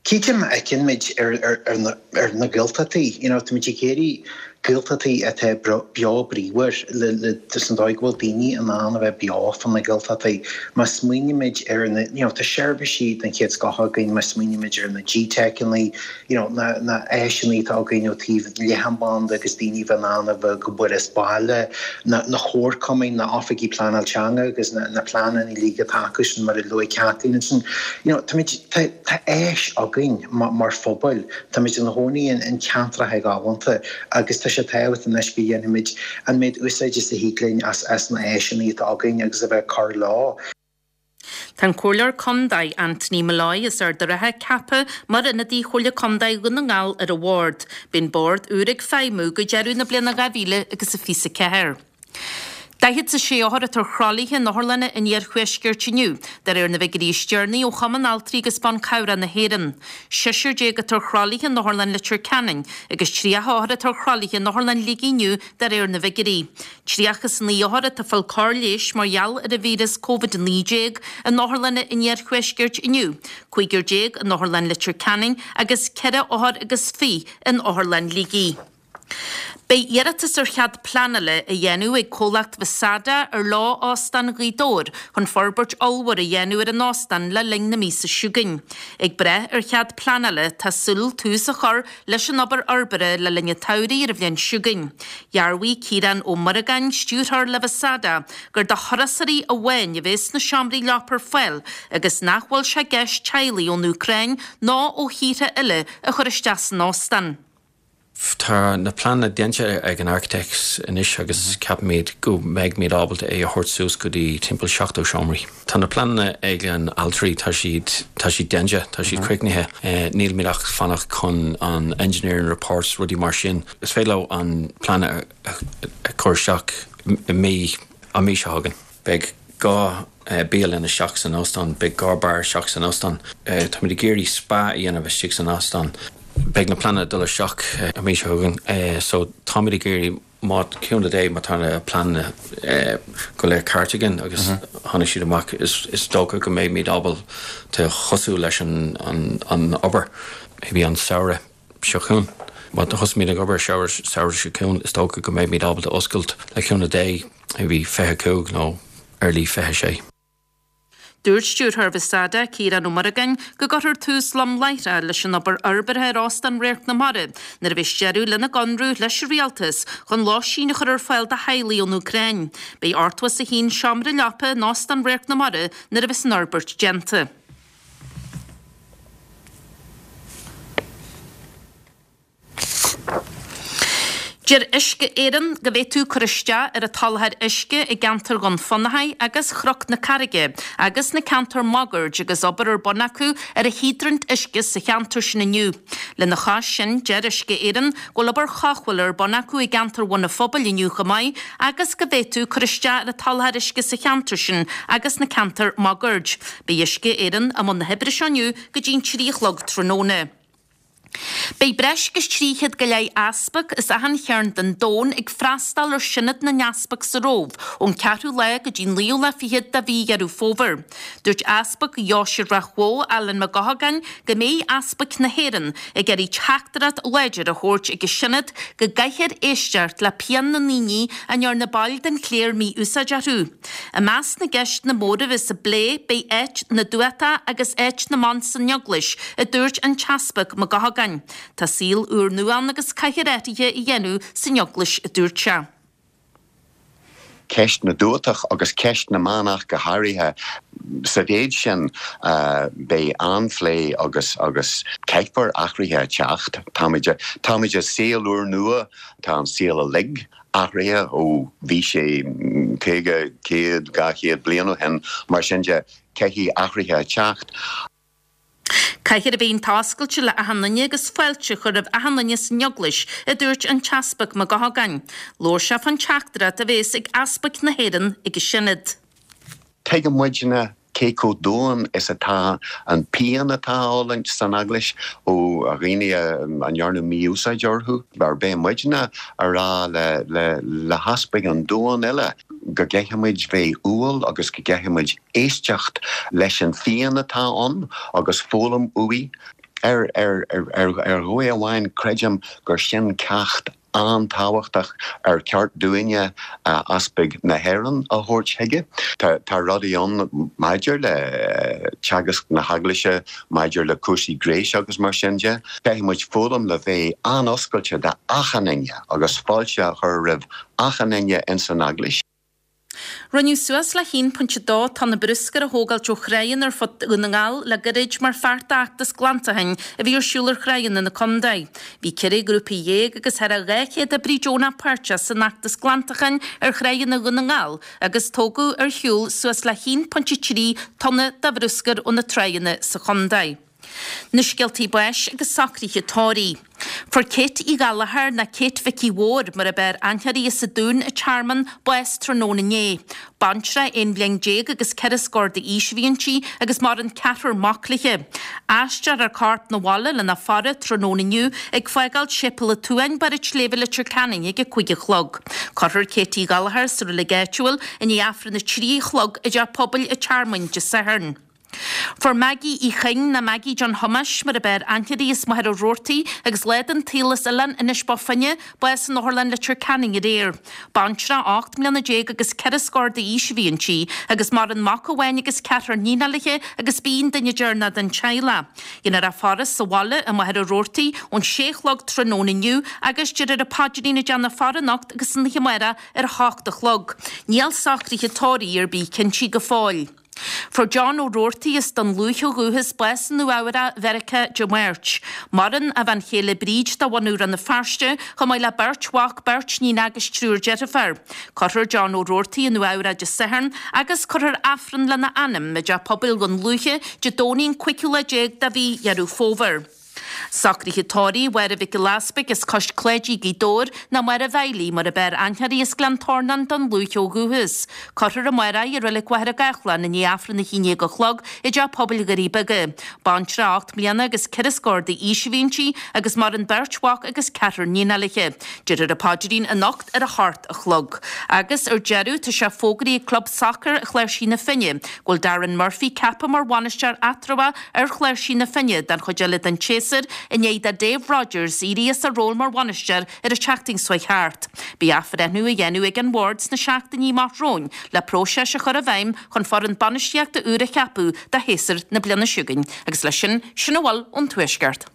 Cítim, fheiceann muid ar na Gaeltachtaí, you know, táimid ag iarraidh Gaeltachtaí atá beo bríomhar le san dóigh go bhfuil daoine in ann a bheith beo fá na Gaeltachtaí. Má smaoinímid ar na, you know, tá seirbhísí den chéad scoth againn, má smaoinímid ar na GTeiceanna, you know, na na áiseanna atá againn ó taobh leathanbhanda agus daoine a bheith in ann a bheith ag obair as baile, na na comharchumainn, na oifigí pleanáil teanga agus na na pleananna uilig atá acu sin mar a luaigh Kathleen ansin, you know, táimid, tá Tá áis againn mar phobal, táimid ina gcónaí in ceantracha galánta agus tá sé tábhachtach anois go dhéanfaimid an méid úsáide is a thig linn as na áiseanna atá againn agus a bheith ag cur leo. Tá an Comhairleoir Contae, Anthony Molloy as Ard an Rátha ceaptha mar ionadaí Chomhairle Contae Dhún na nGall ar an bhord. Beidh an bord úr ag feidhmiú go deireadh na bliana 2024. 46 othar atá ar thralaithe in otharlanna an iarthuaiscirt inniu, de réir na bhfigiúirí is deireanaí ó Chumann Altraí agus Ban Cabhrach na hÉireann. Seisear déag atá ar thralaithe in Otharlann Leitir Ceanainn agus 30 othar atá ar thralaithe in Otharlann Shligigh inniu de réir na bhfigiúirí. 39 othar atá ag fáil cóir leighis mar gheall ar an víreas Covid-19 in otharlanna an iarthuaiscirt inniu, cúigear déag in Otharlann Leitir Ceanainn agus ceithre othar agus fiche in Otharlann Shligigh. Beidh iarratas ar chead pleanála á dhéanamh ag comhlacht Vasada ar ló Óstán Ghaoth Dobhair chun forbairt ollmhór a dhéanamh ar an óstán le linn na míosa seo chugainn. Ag brath ar chead pleanála, tá súil tús a chur leis an obair fhorbartha le linn an tsamhraidh ar an bhliain seo chugainn. Dhearbhaigh Ciarán Ó Muireagáin, stiúrthóir le Vasada, gur do thurasóirí amháin a bheas na seomraí leapa ar fáil agus nach bhfuil sé i gceist teaghlaigh ón Úcráin ná ó thíortha eile a chur isteach san óstán. Tá na pleananna déanta ag an architects anois agus ceapaimid go mbeidhmid ábalta é a thabhairt suas go dtí timpeall 70 seomraí. Tá na pleananna ag an altraí, tá siad, tá siad déanta, tá siad críochnaithe. Nílimid ach fanacht chun an engineering reports, rudaí mar sin. Is féidir leo an plean a chur isteach i mí, an mí seo chugainn. Beidh dhá bialann isteach san óstán, beidh dhá beár isteach san óstán. Táimid ag iarraidh spa a dhéanamh istigh san óstán. Beidh na pleananna ag dul isteach an mhí seo chugainn so táimid ag iarraidh má, cúnamh Dé, má tá na pleananna go léir ceart againn agus tháinig siad amach is dócha go mbeimid ábalta tosú leis an obair maybe an samhradh. seo chugainn. Má thosaímid ag obair samhradh seo chugainn, is dócha go mbeimid ábalta oscailt le cúnamh Dé maybe 25 nó early 26. Dúirt Stiúrthóir Vasada, Ciarán Ó Muireagáin, go gcuirfear tús lom láithreach leis an obair fhorbartha ar Óstán Radharc na Mara nuair a bheas deireadh lena gconradh leis an Rialtas chun lóistín a chur ar fáil do theaghlaigh ón Úcráin. Beidh 81 seomra leapa in Óstán Radharc na Mara nuair a bheas an fhorbairt déanta. Deir Uisce Éireann go bhféadfadh cur isteach ar an tsoláthar uisce i gceantar Dhún Fionnachaidh agus Chnoc na Carraige agus na ceantair máguaird agus obair ar bun acu ar an híodrant uisce sa cheantar sin inniu. Lena chois sin, deir Uisce Éireann go bhfuil obair chomhchuibhithe ar bun acu i gceantar Bhun an Phobail inniu chomh maith agus go bhféadfadh cur isteach ar an tsoláthar uisce sa cheantar sin agus na ceantair máguaird. Beidh Uisce Éireann i mbun na hoibre seo inniu go dtí'n 3 a chlog tráthnóna. Beidh breis agus 300 go leith easpag as achan chearn den domhan ag freastal ar Sionad na nEaspag sa Róimh ón ceathrú lá go dtí'n naoú lá fichead de mhí Dheireadh Fómhair. Dúirt Easpag Dheoise Ráth Bhoth, Alan Mac Gothagáin, go mbeidh easpaig na hÉireann ag iarraidh teachtaireacht láidir a thabhairt ag an Sionad go gcaithfear éisteacht le pian na ndaoine a ndearna baill den chléir mí-úsáid orthu. I measc na gceisteanna móra a bheas á bplé beidh áit na dtuatach agus áit na mban san Eaglais, a dúirt an tEaspag Mac Gothagáin. Tá saol úrnua ann agus caithfear athruithe a dhéanamh san Eaglais, a dúirt sé. Ceist na dtuatach agus ceist na mban ach go háirithe. Sa mhéid sin beidh an-phlé agus agus caithfear athruithe a teacht. Táimid táimid i saol úrnua, tá an saol uilig athraithe ó bhí sé 50, 100, 200 bliain ó shin, mar sin de caithfidh athruithe a teacht. Caithfear a bheith iontoscailte le achan duine agus fáilte a chur roimh achan duine san Eaglais, a dúirt an tEaspag Mac Gothagáin. Labhair sé fán teachtaireacht a bhéas ag easpaig na hÉireann ag an Sionad. Tuigeann muidne cé chomh domhain is atá an pian atá á fhulaingt san Eaglais ó dhaoine a ndearnadh mí-úsáid orthu. Beidh muidne a rá le heaspaig an domhain uile go gcaithfimid bheith umhal agus go gcaithfimid éisteacht leis an phian atá ann agus foghlaim uaidh. Ar dhóigh amháin, creidim gur sin ceacht an-tábhachtach ar cheart dúinne, easpaig na hÉireann, a thabhairt chuige. Tá rudaí ann maidir le teagasc na hEaglaise, maidir le cúrsaí gnéis agus mar sin de. Caithfidh muid foghlaim le bheith an-oscailte d'achan duine agus fáilte a chur roimh achan duine ins an Eaglais. Rinneadh suas le 1.2 tonna bruscair a thógáilt ó thráigheanna ar fud Dhún na nGall le gairid mar pháirt d'fheachtas glantacháin a bhí ar siúl ar thráigheanna na contae. Bhí 14 ghrúpa agus thar 200 oibrí deonach páirteach san fheachtas glantacháin ar thráigheanna Dhún na nGall agus tógadh ar shiúl suas le 1.3 tonna de bhruscar ó na tráigheanna sa chontae. Na scéaltaí báis agus socruithe tórraimh. Fuair Kate Uí Ghallchóir ná Kate Mhicí Mhóir mar ab fhearr aithne uirthi as an Dún an Tearmann, bás tráthnóna inné. Baintreach aon bhliain déag agus ceithre scór d'aois a bhí inti agus maireann ceathrar mac léi. Aistreofar a corp 'na bhaile lena faire tráthnóna inniu ag fágáil Séipéal an tSuain, Barr an tSléibhe Leitir Ceanainn ag 5 a chlog. Cuirfear Kate Uí Ghallchóir sa reilig áitiúil i ndiaidh Aifreann 3 a chlog i dTeach Pobail an Tearmainn Dé Sathairn. Fuair Maggie Uí Chuinn, ná Maggie John Thomáis mar ab fhearr aithne uirthi as Machaire Rabhartaigh agus lá den tsaol as Oileán Inis Bó Finne, bás in Otharlann Leitir Ceanainn aréir. Baintreach 18 mbliana agus ceithre scór d'aois a bhí inti agus maireann mac amháin agus ceathrar níonacha léi agus b'í an duine deireanach den teaghlach. Déanfar a faire sa bhaile i Machaire Rabhartaigh ón sé a chlog tráthnóna inniu agus déarfar an paidrín ag déanamh faire anocht agus san oíche amárach ar a hocht a chlog. Níl socruithe tórraimh ar bith cinntí go fóill. Fuair John Ó Roarty as Dún Lúiche ó dhúchas bás i Nua Eabhrac, Mheiriceá, Dé Máirt. Maireann a bhean chéile Bríd de bhunadh Rann na Feirste, chomh maith le beirt mhac, beirt níon agus triúr deirfiúr. Cuirfear John Ó Roarty i Nua Eabhrac Dé Sathairn agus cuirfear Aifreann lena anam i dTeach Pobail Dhún Lúiche Dé Domhnaigh an cúigiú lá déag de mhí Dheireadh Fómhair. Socruithe tórraimh Mháire Mhic Giolla Easpaig as Cois Cláidí, Gaoth Dobhair, ná Máire Mheidhilí mar ab fhearr aithne uirthi as Gleann Tornáin, Dún Lúiche ó dhúchas. Cuirfear amárach í i Reilig Mhachaire Gathlán i ndiaidh Aifreann 11 a chlog i dTeach Pobail Dhoirí Beaga. Baintreach 8 mbliana agus ceithre scór d'aois a bhí inti agus maireann beirt mhac agus ceathrar níonacha léi. Déarfar an paidrín anocht ar a hocht a chlog. Agus ar deireadh, tá sé fógraithe ag Club Sacair Chláirsigh na Finne go bhfuil Darren Murphy ceaptha mar bhainisteoir eatramhach ar Chláirsigh na Finne don chuid eile den tséasúr i ndiaidh do Dave Rogers éirí as a ról mar bhainisteoir ar an tseachtain seo chuaigh thart. Beidh athbhreithniú á dhéanamh ag an bhord sna seachtainí amach romhainn le próiseas a chur i bhfeidhm chun foireann bainistíochta úr a cheapadh do shéasúr na bliana seo chugainn. Agus leis sin, sin a bhfuil ón Tuaisceart.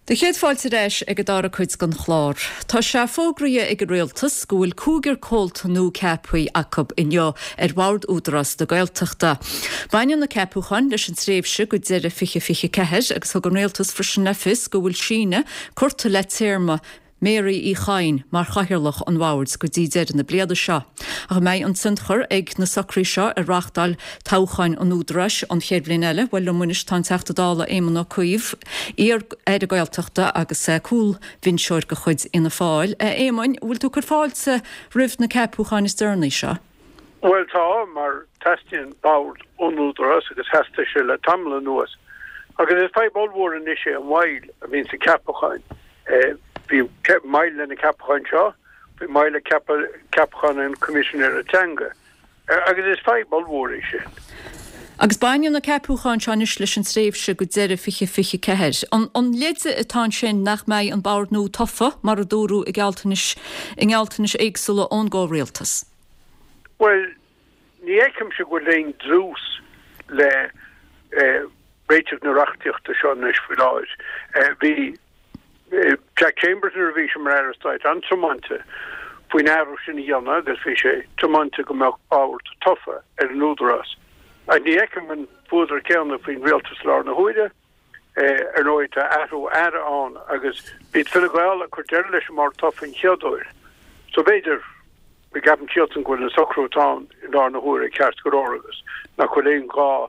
Do chéad fáilte ar ais ag an dara cuid den chlár. Tá sé fógraithe ag an Rialtas go bhfuil cúigear comhalta nua ceaptha acu inniu ar Bhord Údarás na Gaeltachta. Baineann na ceapúcháin leis an tréimhse go deireadh 2024 agus thug an Rialtas freisin le fios go bhfuil síneadh curtha le téarma Mary Uí Chadhain mar chathaoirleach an bhoird go dtí deireadh na bliana seo. Ach an mbeidh an tionchar ag na socruithe seo ar reáchtáil toghcháin an Údaráis an chéad bhliain eile? Bhuel, liom anois tá an Teachta Dála Éamon Ó Cuív, iar-Aire Gaeltachta agus cúlbhinseoir de chuid Fhianna Fáil. A Éamoin, an bhfuil tú ag cur fáilte roimh na ceapúcháin is deireanaí seo? Bhuel tá, mar teastaíonn bord ón Údarás agus theastaigh sé le tamall anuas. Agus is fadhb ollmhór anois é an mhoill a bhíonn sna ceapacháin. Bhí moill le na ceapacháin seo, bhí moill le ceapachán an Choimisinéara Teanga agus is fadhb ollmhór é sin. Agus baineann na ceapúcháin seo anois leis an tréimhse go deireadh 2024. An leide atá ansin nach mbeidh an bord nua tofa, mar a dúradh i ngealltanais i ngealltanais éagsúla ón gcomhrialtas? Bhuel, ní fheicimse go bhfuil aon dlús le réiteach na reachtaíochta seo anois faoi láthair. Bhí Jack Chambers nuair a bhí sé mar Aire Stáit an-tiomanta faoin athrú sin a dhéanamh agus bhí sé tiomanta go mbeadh bord tofa ar an Údarás. Ach ní fheicim an fuadar céanna faoin rialtas i láthair na huaire. Ar ndóigh tá athrú aire ann agus b'iad Fine Gael a chuir deireadh leis an mbord tofa an chéad uair. So b'fhéidir go gceapann siadsan go bhfuil an socrú atá ann i láthair na huaire ceart go leor agus nach bhfuil aon ghá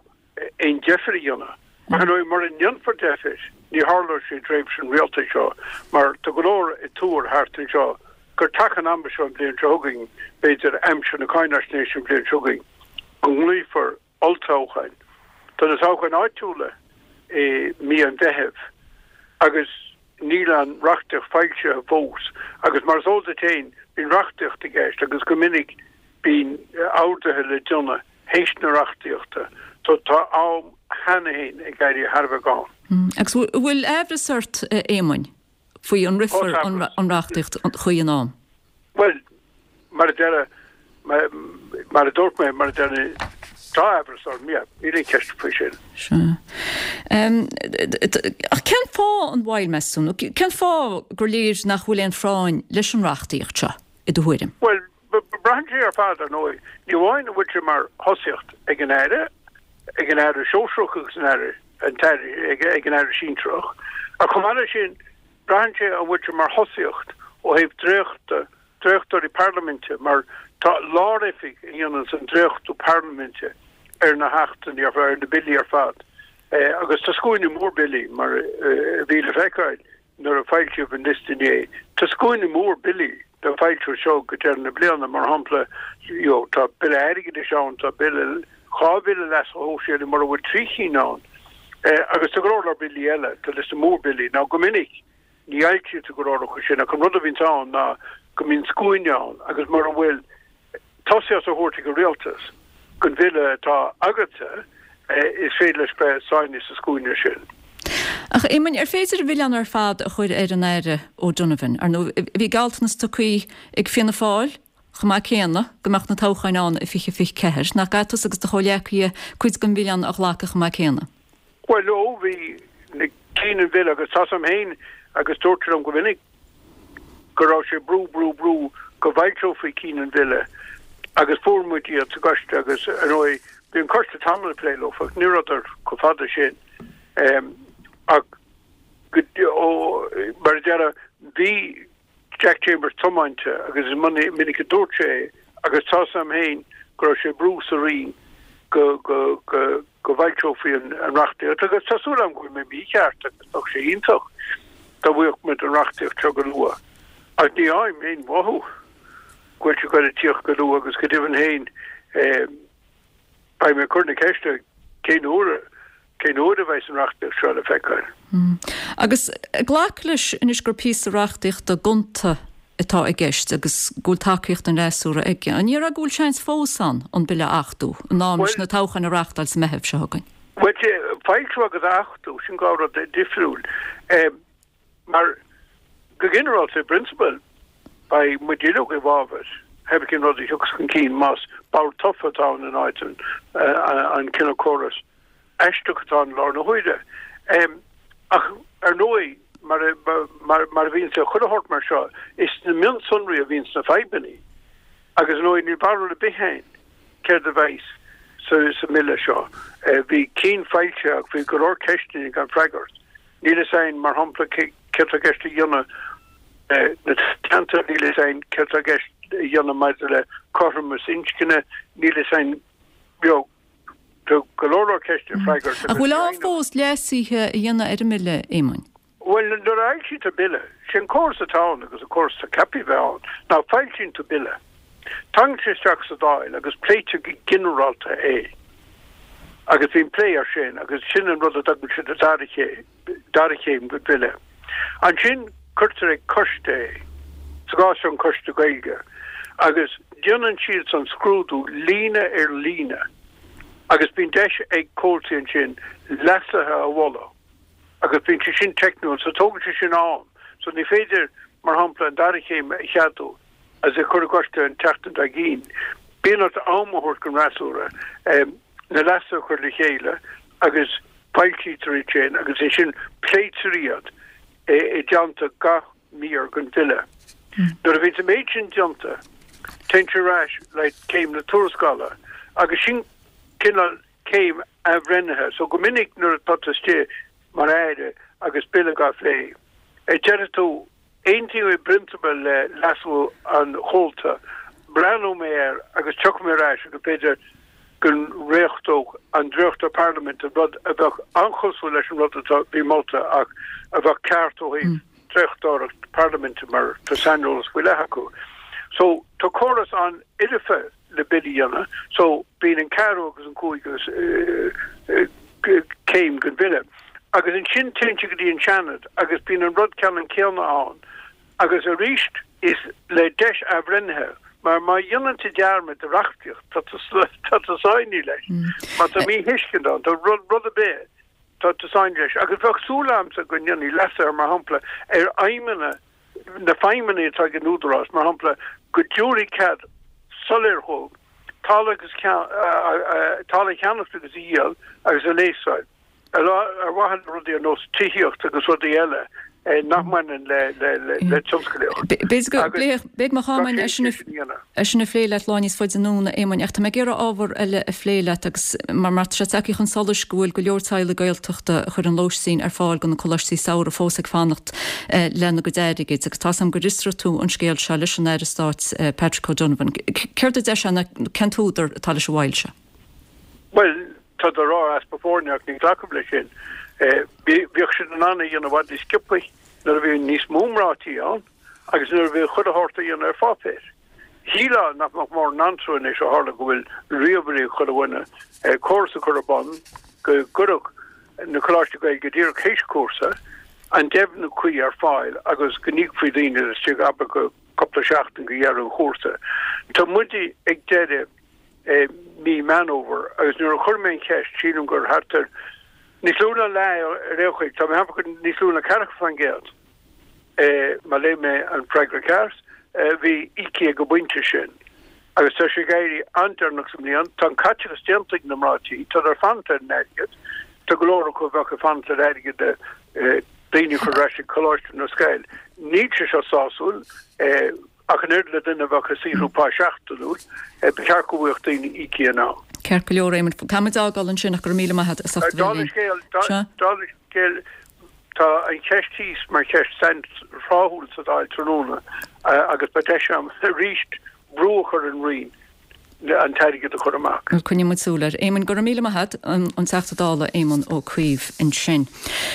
aon deifir a dhéanamh. Ach ar ndóigh mura ndéanfar deifir ní tharlóidh sé i dtréimhse an rialtais seo mar tá go leor ag tuar thart anseo gur taca an ama seo an bhliain seo chugainn, b'fhéidir aimsir na cáinaisnéise an bhliain seo chugainn, go nglaofar olltoghcháin. Tá na toghcháin áitiúla i mí an Mheithimh agus níl an reachtaíocht foilsithe fós agus mar is eol duit féin bíonn reachtaíocht i gceist agus go minic bíonn orduithe le déanamh théis na reachtaíochta so tá am cheana féin ag éirí thar a bheith gann. Agus an bhfuil aimhreas ort, a Éamoin, faoi an rithfear an reachtaíocht chuí in am? Bhuel, mar a deir, mar a dúirt mé, mar a deir, tá aimhreas orm, yeah, níl aon cheist faoi sin. Sea. Ach cén fáth an mhoill, meas tú? Nó cén fáth gur léir nach bhfuil aon phráinn leis an reachtaíocht seo, i do thuairim? Bhuel, braitheann sé ar fad, ar ndóigh. Ní amháin an bhfuil sé mar thosaíocht ag an Aire, ag an Aire Sóisearach agus an Aire, an tAire, ag an Aire Sinsearach, ach chomh maith leis sin, braitheann sé an bhfuil sé mar thosaíocht ó thaobh dréachta. dréachtóirí parlaiminte mar tá lár-oifig a dhéananns an dréachtú parlaiminte ar na hachtanna ar ar na billí ar fad agus tá scuaine mór billí mar a bhí le feiceáil nuair a foilsíodh an liosta inné. Tá scuaine mór billí le foilsiú as seo go deireadh na bliana, mar shampla you know tá bille airgeadais ann, tá bille, 2 bhille leasa shóisialaigh mura bhfuil 3 chinn ann agus tá go leor leor billí eile, tá liosta mór billí. Now go minic ní fhoilsítear go leor acu sin ach an rud a bhíonns ann ná go mbíonn scuaine ann agus mura bhfuil tosaíocht á thabhairt ag an rialtas don bhille atá agatsa, is féidir leis bheith sáinnithe sa scuaine sin. Ach, a Éamoinn, ar féidir an milleán ar fad a chur ar an Aire O'Donovan? Ar ndóigh, bhí gealltanas tugtha ag Fianna Fáil chomh maith céanna go mbeadh na toghcháin ann i 2024. Nach gcaithfidh tusa agus do chomhghleacaithe cuid den mhilleán a ghlacadh chomh maith céanna? Bhuel, ó, bhí na cinn an bhille agus tá 's a'm féin agus dúirt sé liom go minic go raibh sé brú, brú, brú go bhfoilseofaí cinn an bhille agus fuair muid iad sa gcoiste agus, ar ndóigh, bhí an coiste tamall ag plé leo ach ní rabhadar chomh fada sin. Ach go, ó, mar a déarfá, bhí Jack Chambers tiomáinte agus is minic a dúirt sé é agus tá 's a'm féin go raibh sé ag brú sa Roinn go, go, go, go bhfoilseofaí an reachtaíocht agus tá súil agam go bhfuil mé mícheart agus bheadh sé iontach dá bhfaigheadh muid an reachtaíocht seo go luath ach ní fhaighim aon mhothú go bhfuil sé ag goil a tíocht go luath agus go deimhin féin beidh mé ag cur na ceiste cén uair cén uair a bheidh an reachtaíocht seo le feiceáil. Agus glac leis anois gur píosa reachtaíochta gonta atá i gceist agus go bhfuil tacaíocht an fhreasúra aige. An ndéarfá go bhfuil seans fós ann an bille a achtú in am leis na toghcháin a reáchtáil sa Meitheamh seo chugainn? Bhuel, foilsiú agus achtú, sin 2 rud difriúil. Mar go ginearálta, i bprionsabal, beidh muid uilig i bhfabhar pé cén rud a thiocfas chun cinn más bord tofa atá ann in áit an cineál córas aisteach atá ann i láthair na huaire. Ach ar ndóigh, mar a bhíonns le chuile shórt mar seo, is sna mionsonraí a bhíonns na fadhbanna. Agus ar ndóigh, níl barúil ar bith againn céard a bheas sa mbille seo. Bhí cinn foilsithe ach bhí go leor ceisteanna gan freagairt. Níl a fhios againn, mar shampla, céard atá i gceist a dhéanamh le na ceantair, níl a fhios againn céard atá i gceist a dhéanamh maidir le cothromas inscne, níl a fhios againn, you know, tá go leor leor ceisteanna le freagairt Ach bhfuil am fós leasuithe a dhéanamh ar an mbille, Éamoinn? Bhuel, nuair a fhoilsítear bille, sé an córas atá ann agus an córas atá ceaptha a bheith ann, ná foilsíonn tú bille, tagann sé isteach sa Dáil agus pléitear go ginearálta é agus bíonn plé air sin agus sin an rud a dtugann siad an dara chéim, dara chéim den bhille. Ansin cuirtear ag coiste é, sa gcás seo an Coiste Gaeilge, agus déanann siadsan scrúdú líne ar líne agus bíonn deis ag comhaltaí ansin leasuithe a mholadh. agus bíonn sé sin teicniúil so tógann sé sin am. So ní féidir, mar shampla, an dara chéim a cheadú agus é a chur i gcoiste an tseachtain dár gcionn. Bíonn ort am a thabhairt don fhreasúra na leasuithe a chur le chéile agus foilsítear iad sin agus ansin pléitear iad i dteannta gach mír den bhille. Nuair a bhíonn an méid sin déanta, téann sé ar ais le céim na tuarascála agus sin cineál céim athbhreithnithe. So go minic nuair atá tú istigh mar Aire agus bille á phlé, déarfaidh tú, aontaím i bprionsabal le leasú an chomhalta, breathnóidh mé air agus tiocfaidh mé ar ais agus b'fhéidir go ndréachtódh an dréachtóir parlaiminte rud a bheadh an-chosúil leis an rud atá, bhí molta ach a bheadh ceart ó thaobh dréachtóireacht parlaiminte mar tá saineolas faoi leith acu. So tá córas an-fhoirfe le bille a dhéanamh. So, bíonn an ceathrú agus an cúigiú céim den bhille. Agus ansin téann sé go dtí an Seanad agus bíonn an rud ceannann céanna ann. Agus arís is le deis athbhreithnithe, mar má dhéanann tú dearmad de reachtaíocht, tá tú sáinnithe leis. Má tá míthuiscint ann, tá rud ar bith, tá tú sáinnithe leis. Agus bheadh súil agamsa go ndéanfaí leasuithe, mar shampla, ar fheidhmeanna na feidhmeanna atá ag an Údarás, mar shampla, go dtabharfaí cead soiléir dhóibh talamh agus talamh a cheannacht agus a dhíol agus a léasáil ar mhaithe le rudaí ar nós tithíocht agus rudaí eile. nach mbaineann le tionsclaíocht. B'fhéidir go bpléifidh mé chomh maith é sin a phlé leat lá níos faide anonn, a Éamoinn, ach tá mé ag iarraidh ábhar eile a phlé leat agus mar tá sé tagtha chun solais go bhfuil go leor teaghlaigh Gaeltachta a chuireann lóistín ar fáil do na coláistí samhraidh fós ag fanacht lena gcuid airgid agus tá's agam gur fhiosraigh tú an scéal seo leis an Aire Stáit Patrick O'Donovan. Céard a deir sé nó cén t-údar atá leis an mhoill seo? Bhuel, tá siad ag rá easpa foirne ach ní ghlacaim leis sin. Bhíodh siad in ann é a dhéanamh i bhfad níos sciobthaí nuair a bhí níos mó mná tí ann agus nuair a bhí chuile shórt á dhéanamh ar pháipéar. Shílfeá nach mbeadh mórán antró anois ó tharla go bhfuil ríomhairí ag chuile dhuine, córas a chur ar bun go gcuirfeadh na coláistí Gaeilge díreach théis cúrsa an deimhniú cuí ar fáil agus go n-íocfaí daoine laistigh abair de chúpla seachtain go dheireadh an chúrsa. Tá muid ag deireadh mí Meán Fhómhair agus nuair a chuir mé an cheist, sílim gur thart ar níos lú ná leath ar aon chaoi, tá mé ag ceapadh gur níos lú ná 40%, má léigh mé an freagra ceart, a bhí íoctha ag an bpointe sin. Agus tá sé ag éirí an-deireanach sa mbliain, tá an caiteachas déanta ag na mná tí, tá siad ag fanacht ar an airgead, tá go leor acu a bheadh ag fanacht ar airgead daoine a chur ar ais ag coláiste nó scoil. Níl sé seo sásúil. Ach an oiread le duine a bheadh ag saothrú pá seachtainiúil, ba cheart go bhfaigheadh daoine íoctha in am. Ceart go leor, Éamonn. Caithfidh muid fhágáil ansin ach go raibh míle maith agat as ucht a bheith linn. Dála an scéil, tá an cheist thíos mar cheist sainthráthúil sa Dáil tráthnóna agus beidh deis agam arís brú a chur ar an Roinn an t-airgead a chur amach. Bhuel, coinneoidh muid súil air. Éamonn, go raibh míle maith agat, an Teachta Dála Éamon Ó Cuív ansin.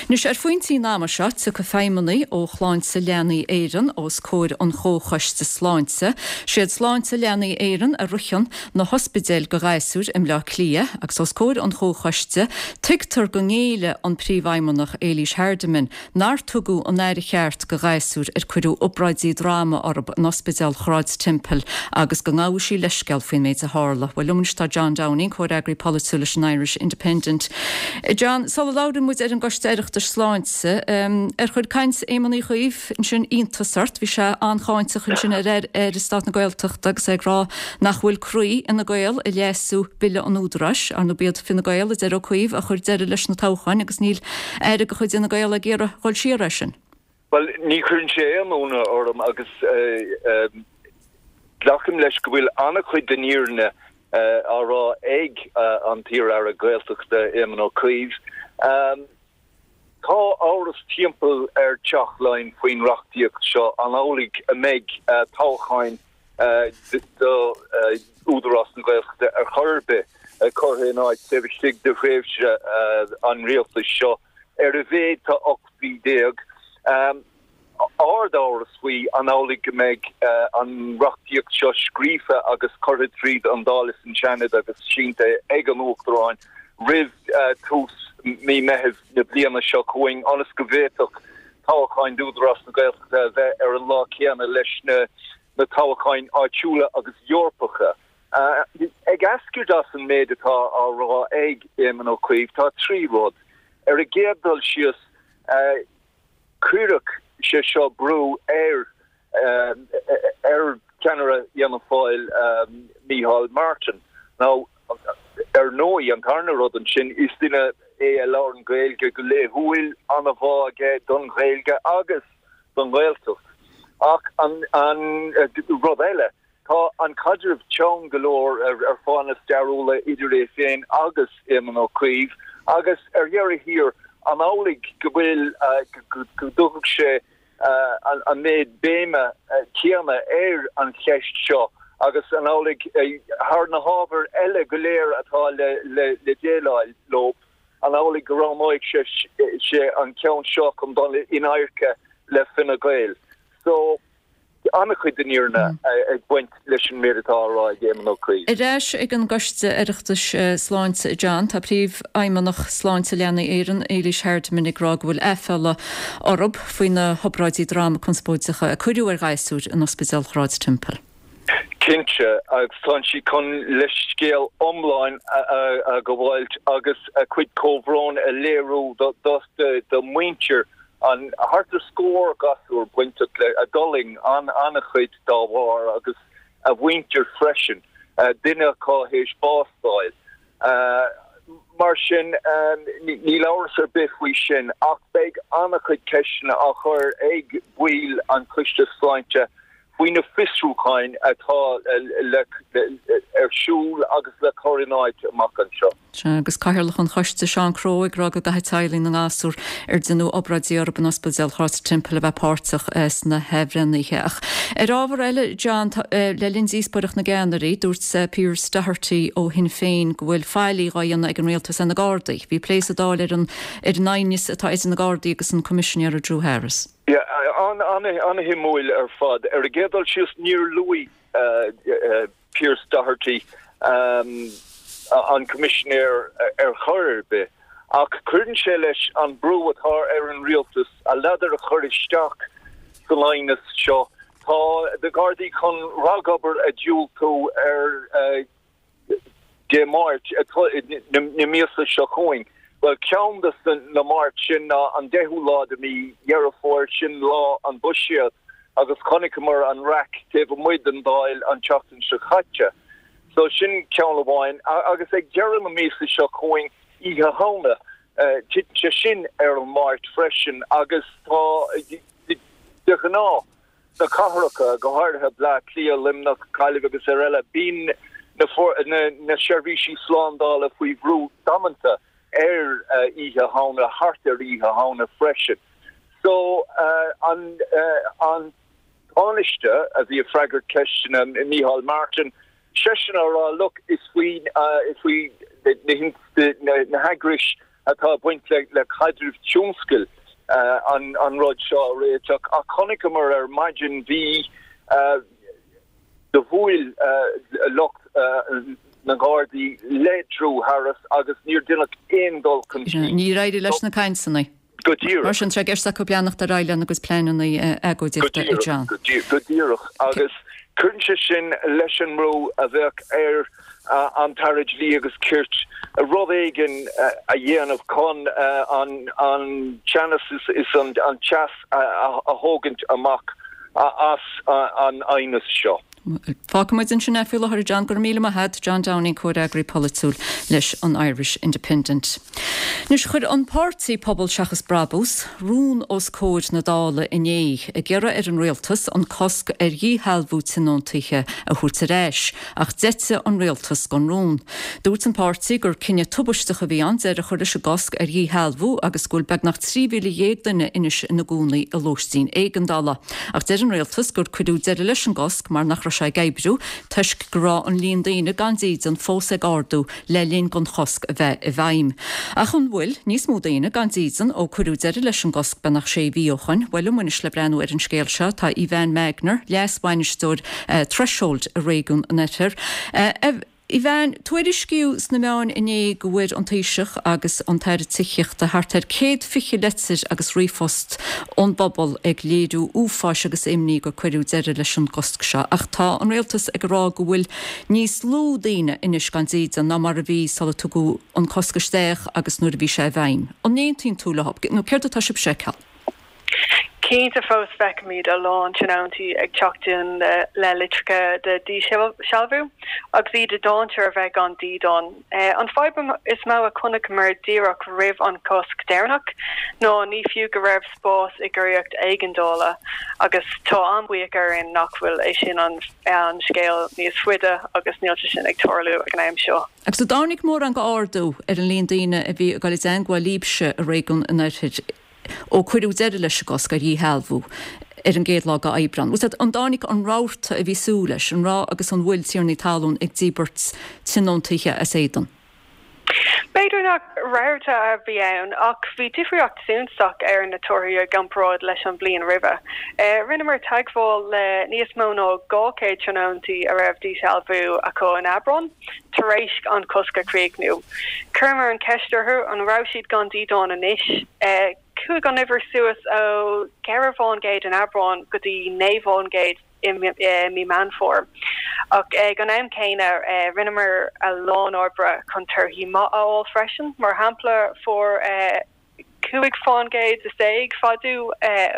Anois, ar phointí an ama seo, tiocfaidh feidhmeannaigh ó Shláinte Leanaí Éireann os comhair an Chomhchoiste Sláinte. Siad Sláinte Leanaí Éireann a ritheann na hospidéil do ghasúir i mBleá Cliath agus os comhair an Chomhchoiste, tuigtear go ngéillfidh an Príomhfheidhmeannach Éilís Hardiman nár tugadh an aire cheart do ghasúir ar cuireadh obráidí droma orthu in Ospidéal Shráid Temple agus go ngabhfaidh sí leithscéal faoin méid a tharla. Bhuel, liom anois tá John Downing, comhfhreagraí polaitiúil leis an Irish Independent. John, sula labhraíonn muid ar an gCoiste Oireachtais Sláinte, ar chuir caint Éamon Uí Chuív ansin iontas ort? Bhí sé an-cháinteach ansin ar Aire Stáit na Gaeltachta agus é ag rá nach bhfuil croí Fhine Gael ag leasú Bille an Údaráis. Ar ndóigh b'iad Fine Gael, a deir Ó Cuív, a chuir deireadh leis na toghcháin agus níl Aire de chuid Fhine Gael ag iarraidh dhul siar air sin. Bhuel, ní chuireann sé aon ionadh orm agus glacaim leis go bhfuil an-chuid den fhírinne á rá ag an t-iar-aire Gaeltachta, Éamon Ó Cuív. Tá amhras timpeall ar Theach Laighean faoin reachtaíocht seo, an amhlaidh a mbeidh toghcháin do Údarás na Gaeltachta ar chor ar bith curtha in áit taobh istigh de thréimhse an rialtais seo, ar a mhéad tá 18 mhí. Ard-amhras faoi an amhlaidh go mbeidh an reachtaíocht seo scríofa agus curtha tríd an Dáil is an Seanad agus sínte ag an Uachtarán roimh tús mí Meithimh na bliana seo chugainn ionas go bhféadfadh toghcháin d'Údarás na Gaeltachta a bheith ar an lá céanna leis na na toghcháin áitiúla agus Eorpacha. Ag eascairt as an méid atá á rá ag Éamon Ó Cuív, tá 3 rud. Ar an gcéad dul síos, cuirfidh sé seo brú ar ar cheannaire Fhianna Fáil, Micheál Martin. Now, ar ndóigh, an tarna rud ansin, is duine é a labhrann Gaeilge go laethúil, an-bhá aige don Ghaeilge agus don Ghaeltacht. Ach an rud eile, tá an caidreamh teann go leor ar fáthanna stairiúla idir é féin agus Éamon Ó Cuív agus ar dheireadh thiar, an amhlaidh go bhfuil, go dtabharfadh sé an méid béime céanna ar an cheist seo agus an amhlaidh thar na hábhair eile go léir atá le déileáil leo, An amhlaidh go roghnóidh sé an ceann seo chun dul in adharca le Fine Gael? So, an-chuid den fhírinne ag baint leis an méid atá á rá ag Éamon Ó Cuív. Ar ais ag an gCoiste Oireachtais Sláinte, a John, tá Príomhfheidhmeannach Sláinte Leanaí Éireann, Éilís Hardiman ag rá go bhfuil aiféala orthu faoi na hobráidí droma conspóideacha a cuireadh ar ghasúir in Ospidéal Shráid Temple. Cinnte, agus tá sí chun leithscéal iomlán a ghabháilt agus a cuid comhbhróin a léiriú do mhuintir an thart ar scór gasúr bainteach le, a d'fhulaing an-chuid dá bharr agus a mhuintir freisin, duine acu théis bás d'fháil. Mar sin, níl amhras ar bith faoi sin ach beidh. beidh an-chuid ceisteanna á chur ag baill an Choiste Sláinte faoi na fiosrúcháin atá ar siúl agus le cur in áit amach anseo. Sea, agus Cathaoirleach an Choiste, Seán Crowe, ag rá go gcaithfidh teaghlaigh na ngasúr ar deineadh obráidí orthu in Ospidéal Chros an Teampaill a bheith páirteach sna hathbhreithnithe. Ach ar ábhar eile, John, le linn díospóireacht na gceannairí, dúirt Pearse Doherty ó Shinn Féin go bhfuil faillí dhá dhéanamh ag an rialtas ar na Gardaí. Bhí plé sa Dáil ar an ar an aighneas atá idir na Gardaí agus an Coimisinéir Drew Harris. Yeah, an-shuimiúil ar fad. Ar an gcéad dul síos, níor luaigh Pearse Doherty an Coimisinéir ar chor ar bith, ach cuireann sé leis an brú atá ar an rialtas a ladar a chur isteach san aighneas seo. Tá na Gardaí chun ragobair a dhiúltú ar Dé Máirt na míosa seo chugainn. Bhuel, ceann de na Máirt sin ná an 10ú lá de mhí Dheireadh Fómhair, sin lá an Bhuiséad, agus chonaiceamar an raic taobh amuigh den Dáil an tseachtain seo caite. So sin ceann amháin. Agus ag deireadh na míosa seo chugainn, Oíche Shamhna, titeann sé sin ar an Máirt freisin, agus tá, de ghnáth, sna cathracha, go háirithe Bleá Cliath, Luimneach, Gaillimh agus ar eile, bíonn na seirbhísí slándála faoi bhrú damanta ar Oíche Shamhna, thart ar Oíche Shamhna freisin. So, an an Tánaiste a bhí ag freagairt ceisteanna Micheál Martin, seisean á rá, look, is faoi faoi na heagrais atá ag baint le caidreamh tionscail an rud seo a réiteach ach chonaiceamar ar maidin bhí do bhuail lucht na nGardaí le Drew Harris agus níor deineadh aon dul chun cinn. Níor éirigh leis na cainteanna. Go díreach. Mar sin, tá sé i gceist acu leanacht ar aghaidh lena gcuid pleananna agóidíochta, a John. Go díreach. Agus cuireann sé sin leis an mbrú a bheadh ar an tAire Dlí agus Cirt rud éigin a dhéanamh chun an teannas is an teas a thógaint amach as an aighneas seo. Fágfaidh muid ansin é faoi láthair, a John. Go raibh míle maith agat. John Downing, Comhfhreagraí Polaitiúil leis an Irish Independent. Anois, chuir an páirtí Pobal Seachas Brabús rún os comhair na Dála inné ag iarraidh ar an rialtas an cosc ar dhíshealbhú tionóntaithe a thabhairt ar ais, ach d'eitigh an rialtas den rún. Dúirt an páirtí gur cinneadh tubaisteach a bhí ann deireadh a chur leis an gcosc ar dhíshealbhú agus go bhfuil beagnach 13,000 duine anois ina gcónaí i lóistín éigeandála. Ach deir an rialtas gur cuireadh deireadh leis an gcosc mar nach raibh sé ag oibriú toisc go raibh an líon daoine gan dídean fós ag ardú le linn don chosc a bheith i bhfeidhm. Ach an bhfuil níos mó daoine gan dídean ó cuireadh deireadh leis an gcosc beagnach sé mhí ó shoin? Bhuel, liom anois le breathnú ar an scéal seo tá Evanne Magner, Leas-Bhainisteoir Threshold i réigiún an Oirthir. Evanne, tuairiscíodh sna meáin inné go bhfuair an Taoiseach agus an tAire Tithíochta thart ar 120 leitir agus ríomhphost ón bpobal ag léiriú uafáis agus imní gur cuireadh deireadh leis an gcosc seo. Ach tá an Rialtas ag rá go bhfuil níos lú daoine anois gan dídean ná mar a bhí sula tugadh an cosc isteach agus nuair a bhí sé i bhfeidhm. An n-aontaíonn tú leo nó céard atá sibhse a fheiceáil? Cinnte, fós feicimid a lán tionóntaí ag teacht chugainn le litreacha de dhíshealbhú agus iad i ndainséar a bheith gan dídean. An fadhb is mó a chonaiceamar díreach roimh an chosc deireanach ná ní fiú go raibh spás i gcóiríocht éigeandála agus tá an-bhuíoch orainn nach bhfuil é sin an scéal níos faide agus níl sé sin ag tarlú ag an am seo. Agus an dtáinig mórán go ardú ar an líon daoine a bhí ag dul i dteangmháil libhse i réigiún an Oirthir Ó cuireadh deireadh leis an gcosc ar dhíshealbhú ar an gcéad lá d'Aibreán, bhfuil a fhios agat, an dtáinig an rabharta a bhí súil leis, an raibh agus an bhfuil tiarnaí talún ag díbirt tionóntaithe as éadan? B'fhéidir nach rabharta a bhí ann, ach bhí difríocht suntasach ar na torthaí i gcomparáid leis an bhliain roimhe. Rinneamar teagmháil le níos mó ná 200 tionóntaí a raibh díshealbhú acu in Aibreán, tar éis an cosc a chríochnú. Chuireamar an cheist orthu an raibh siad gan dídean anois. Chuaigh an uimhir suas ó 4 fán gcéad in Aibreán go dtí 9 fán gcéad i mí Meán Fómhair. Ach ag an am céanna, rinneamar a lán oibre chun torthaí maith a fháil freisin. Mar shampla, fuair. 15 fán gcéad fadú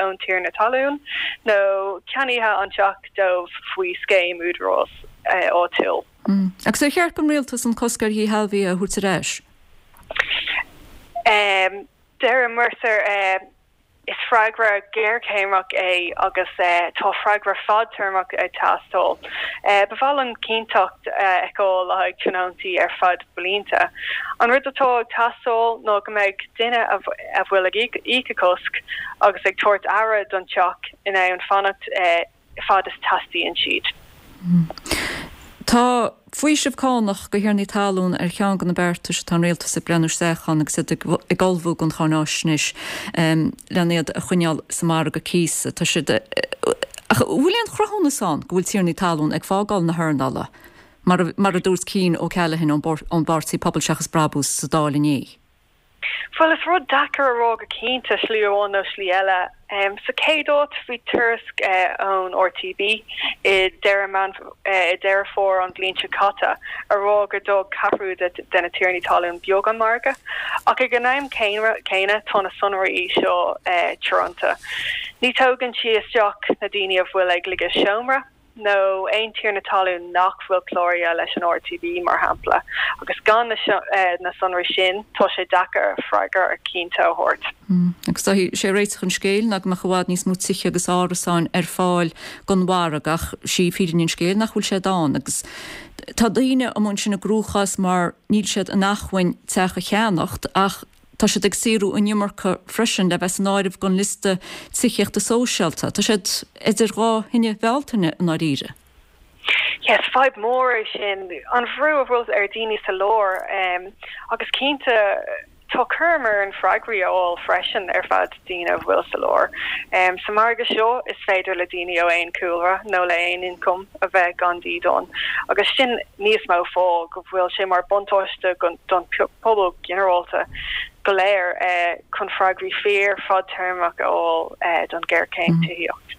ón tiarna talún nó ceannaithe an teach dóibh faoi scéim údarás áitiúil. Agus ar cheart don rialtas an cosc ar dhíshealbhuithe a thabhairt ar ais? Deir Mercer. Is freagra géarchéimeach é agus tá freagra fadtéarmach ag teastáil. Ba mhaith linn cinnteacht a fheiceáil le haghaidh tionóntaí ar feadh blianta. An rud atá ag teastáil ná go mbeidh duine a bhfuil ag íoc a cosc agus ag tabhairt aire don teach in ann fanacht fad is teastaíonn siad. Tá faoiseamh cánach do thiarnaí talún ar cheann de na beartais atá an Rialtas ag breathnú isteach ann agus iad ag ullmhú don cháináisnéis len iad a choinneáil sa margadh cíosa. Tá siad Ach an bhfuil aon chruthúnas ann go bhfuil tiarnaí talún ag fágáil na hearnála, mar a dúirt Cian O'Callaghan ón bPáirtí Pobal Seachas Brabús sa Dáil inné? Bhuel, is rud deacair a rá go cinnte, slí amháin nó slí eile. Sa chéad áit, bhí tuairisc ón RTB i deireadh Meán i Deireadh Fómhair an bhliain seo caite a rá gur d'fhág ceathrú de na tiarnaí talún beag an margadh. Ach ag an am céanna, tá na sonraí seo teoranta. Ní tógann sí isteach na daoine a bhfuil ag ligeadh seomra. nó aon tiarna talún nach bhfuil cláraithe leis an RTB, mar shampla, agus gan na sonraí sin, tá sé deacair freagra cinnte a thabhairt. Agus is é réiteach an scéil ná go mbeadh i bhfad níos mó tithe agus árasáin ar fáil don mhargadh, ach sí fírinne an scéil nach bhfuil siad ann. Agus tá daoine amuigh ansin i gcruachás mar níl siad in acmhainn teach a cheannacht ach Tá siad ag saothrú an iomarca freisin le bheith san áireamh don liosta tithíochta sóisialta. Tá siad idir dhá thine Bhealtaine i ndáiríre. Yes, fadhb mhór é sin, an bhrú a bhfuil ar daoine sa lár agus cinnte tá cúram orainn freagraí a fháil freisin ar feadh daoine a bhfuil sa lár. Sa margadh seo is féidir le daoine ó aon chúlra nó le aon ioncam a bheith gan dídean agus sin níos mó fáth go bhfuil sé mar buntáiste don pobal ginearálta go léir chun freagraí fíor fadtéarmach a fháil don ghéarchéim tithíocht.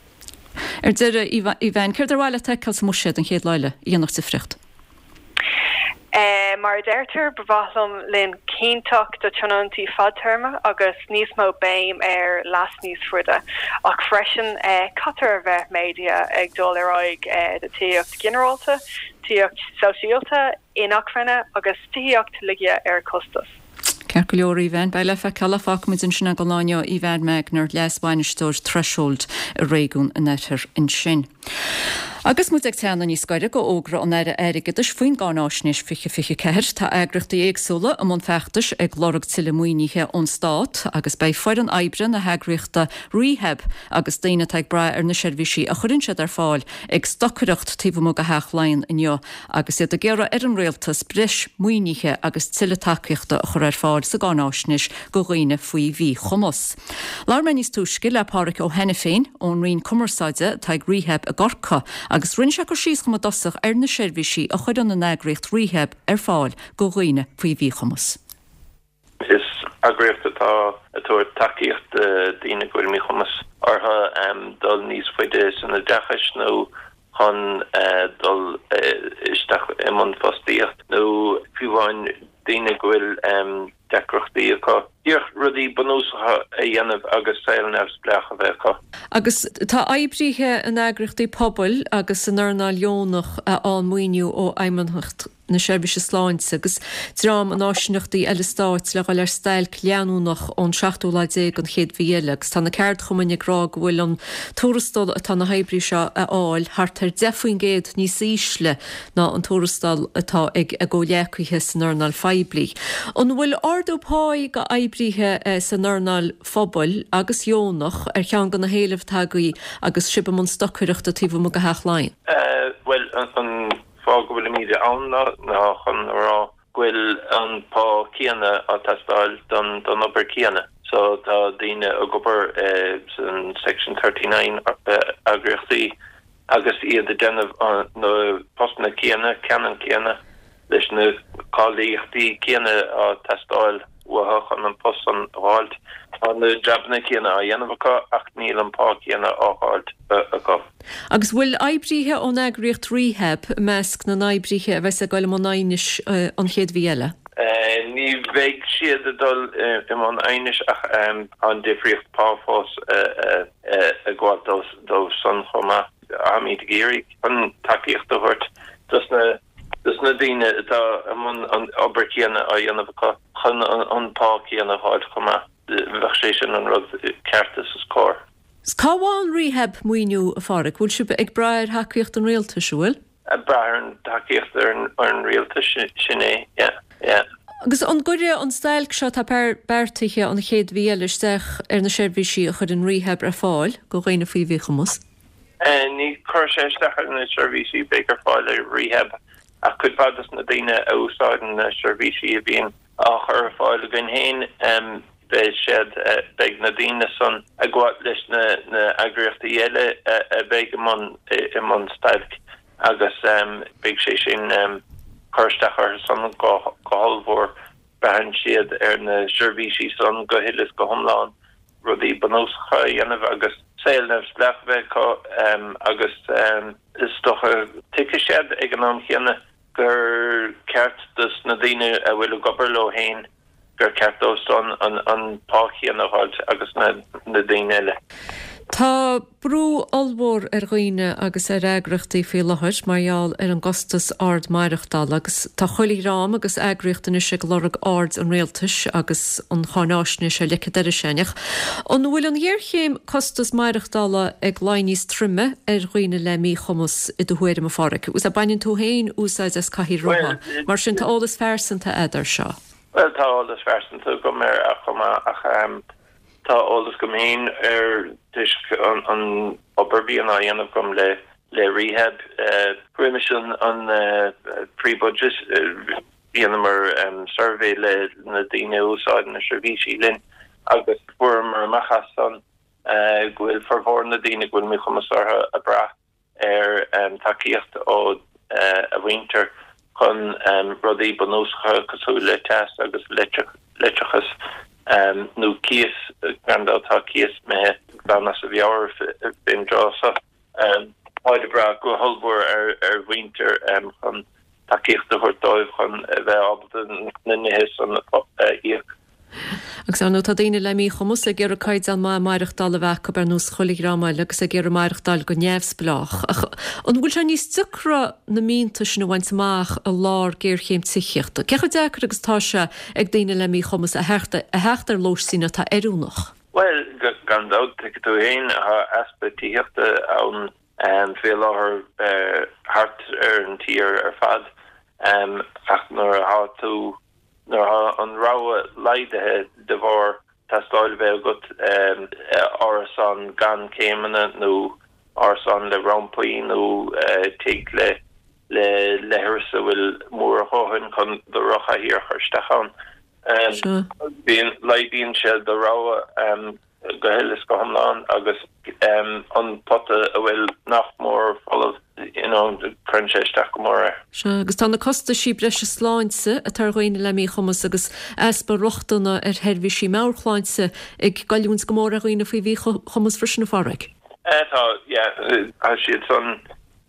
Ar deireadh, Aoibheann, céard ar mhaith leat a fheiceáil sa mbuiséad an chéad lá eile a dhéanfadh difríocht? Mar a deirtear, ba mhaith liom linn cinnteacht do tionóntaí fadtéarma agus níos mó béim ar leas níos faide, ach freisin caithfear a bheith méadaithe ag dul ar aghaidh do tithíocht ghinearálta, tithíocht sóisialta, inacmhainne agus tithíocht ligthe ar costas. Ceart go leor, Aoibheann. Beidh le feiceáil ach fágfaimid ansin é don lá inniu. Aoibheann Magner, Leas-Bhainisteoir Threshold i réigiún an Oirthir ansin. Agus muid ag teannadh níos gaire do fhógra an Aire Airgeadais faoin gCáináisnéis 2024, tá eagraíochtaí éagsúla i mbun feachtais ag lorg tuilleadh maoinithe ón Stát agus beidh foireann oibre na heagraíochta Rehab agus daoine atá ag brath ar na seirbhísí a chuireann siad ar fáil ag stocaireacht taobh amuigh de Theach Laighean inniu agus iad ag iarraidh ar an Rialtas breis maoinithe agus tuilleadh tacaíochta a chur ar fáil sa gcáináisnéis do dhaoine faoi mhíchumas. Labhair mé níos túisce le Pádhraic Ó hAiniféin ón Roinn Cumarsáide atá ag Rehab i gCorcaigh agus rinne sé cur síos dhom i dtosach ar na seirbhísí a chuireann an eagraíocht Rehab ar fáil do dhaoine faoi mhíchumas. Is eagraíocht atá ag tabhairt tacaíocht do daoine go bhfuil míchumas orthu dul níos faide san oideachais nó chun dul isteach i mbun fostaíocht nó fiú amháin daoine go bhfuil deacrachtaí acu díreach rudaí bunúsacha a dhéanamh agus saol neamhspleách a bheith acu. Agus tá oibríthe in eagraíochtaí pobail agus san earnáil dheonach a fhaigheann maoiniú ó Fheidhmeannacht na Seirbhíse Sláinte agus dream in áisíneachtaí eile stáit le dhul ar stailc leanúnach ón seachtú lá déag den chéad mhí eile agus tá na ceardchumainn ag rá go bhfuil an tuarastal atá na hoibrithe seo a fháil thart ar 10% níos ísle ná an tuarastal atá ag a gcomhghleacaithe san earnáil phoiblí. An bhfuil ardú páí do oibrithe san earnáil phobail agus dheonach ar cheann de na héilimh atá agaibh agus sibh i mbun stocaireachta taobh amuigh de Theach Laighean? Bhuel, an fáth go bhfuilimid ann ná chun a rá go bhfuil an pá céanna á teastáil don don obair céanna. So tá daoine ag obair san Section 39 eagraíochtaí agus iad ag déanamh na postanna céanna, ceannann céanna, leis na cáilíochtaí céanna á teastáil uathu chun an post san a fháilt. Tá na jabanna céanna á dhéanamh acu ach níl an pá céanna á fháilt acu. Agus bhfuil oibríthe ón eagraíocht Rehab i measc na n-oibríthe a bheas ag dul i mbun aighnis an chéad mhí eile? Ní bheidh siad ag dul i mbun aighnis ach tá an difríocht pá fós ag gabháil dóibh san chomh maith. Táimid ag iarraidh chun tacaíocht a thabhairt dos na dos na daoine atá i mbun an obair chéanna á dhéanamh acu chun an pá céanna a fháilt chomh maith. Bheadh sé sin an rud ceart is is cóir. 'S cá bhfaigheann Rehab maoiniú, a Pháraic? Bhfuil sibh ag brath ar thacaíocht an rialtais, an bhfuil? Ag brath ar an tacaíocht ar an rialtas, sin é, yeah, yeah. Agus an gcuirfidh an stailc seo atá beartaithe an chéad mhí eile isteach ar na seirbhísí a chuireann Rehab ar fáil do dhaoine faoi mhíchumas? Ní chuirfidh sé isteach ar na seirbhísí a bheidh ar fáil ag Rehab ach cuid mhaith dos na daoine a úsáideann na seirbhísí a bhíonn á chur ar fáil againn féin, beidh siad, beidh na daoine san ag gabháil leis na heagraíochtaí eile a bheidh i mbun, i mbun stailc agus beidh sé sin cur isteach orthu san go hollmhór. Braitheann siad ar na seirbhísí san go huile is go hiomlán, rudaí bunúsacha a dhéanamh agus saol neamhspleách a bheith acu agus is dócha tuigfidh siad ag an am chéanna gur ceart dos na daoine a bhfuil ag obair leo féin, gur ceart dóibh san an pá chéanna a dh'fháilt agus na daoine eile. Tá brú ollmhór ar dhaoine agus ar eagraíochtaí faoi láthair mar gheall ar an gcostas ard maireachtála agus tá chuile dhream agus eagraíocht anois ag lorg aird an rialtais agus an cháináisnéis ar leic an dorais againn. Ach an bhfuil an ghéarchéim costas maireachtála ag luí níos troime ar dhaoine le míchumas i do thuairim, a Pháraic? Agus baineann tú féin úsáid as cathaoir rotha, mar sin tá eolas phearsanta a'd air seo. Bhuel, tá eolas phearsanta agam air chomh maith ach tá eolas agam féin air toisc an obair a bhíonn á dhéanamh agam le le Rehab. Roimis an pre-budget, Dheineamar suirbhé le na daoine a úsáideann na seirbhísí linn agus fuaireamar amach as san go bhfuil formhór na daoine go bhfuil míchumas orthu ag brath ar tacaíocht ó a mhuintir chun rudaí bunúsacha cosúil le teas agus leictreachas nó cíos, gan dabht tá cíos imithe glan as a mheabhair fén dtráth seo. Táid ag brath go hollmhór ar a mhuintir chun tacaíocht a thabhairt dóibh chun a bheith ábalta na nithe san a íoc. Agus ar ndóigh tá daoine le míchumas ag iarraidh caighdeán maith maireachtála a bheith acu ar nós chuile dhream eile agus ag iarraidh maireachtáil go neamhspleách. Ach an bhfuil sé níos deacra na mianta sin a bhaint amach i lár géarchéim tithíochta? Cé chomh deacair agus atá sé ag daoine le míchumas a theacht ar lóistín atá oiriúnach? Bhuel, gan dabht, tuigfidh tú féin, tá easpa tithíochta ann faoi láthair thart ar an tír ar fad ach nuair atá tú, nuair atá an rogha laghdaithe de bharr teastáil a bheith agat árasán gan céimeanna nó árasán le rampaí nó tigh le le leithreas a bhfuil mór a dhóthain chun do rothlachathaoir a chur isteach ann. Bíonn, laghdaíonn sé do rogha go huile is go hiomlán agus an pota a bhfuil nach mór folamh, you know, cuireann sé isteach go mór air. Sea, agus tá na costaisí breise sláinte atá ar dhaoine le míchumas agus easpa rochtana ar sheirbhísí meabhairshláinte ag goilliúint go mór ar dhaoine faoi mhíchumas freisin, a Pháraic. Tá, yeah, tá siad san.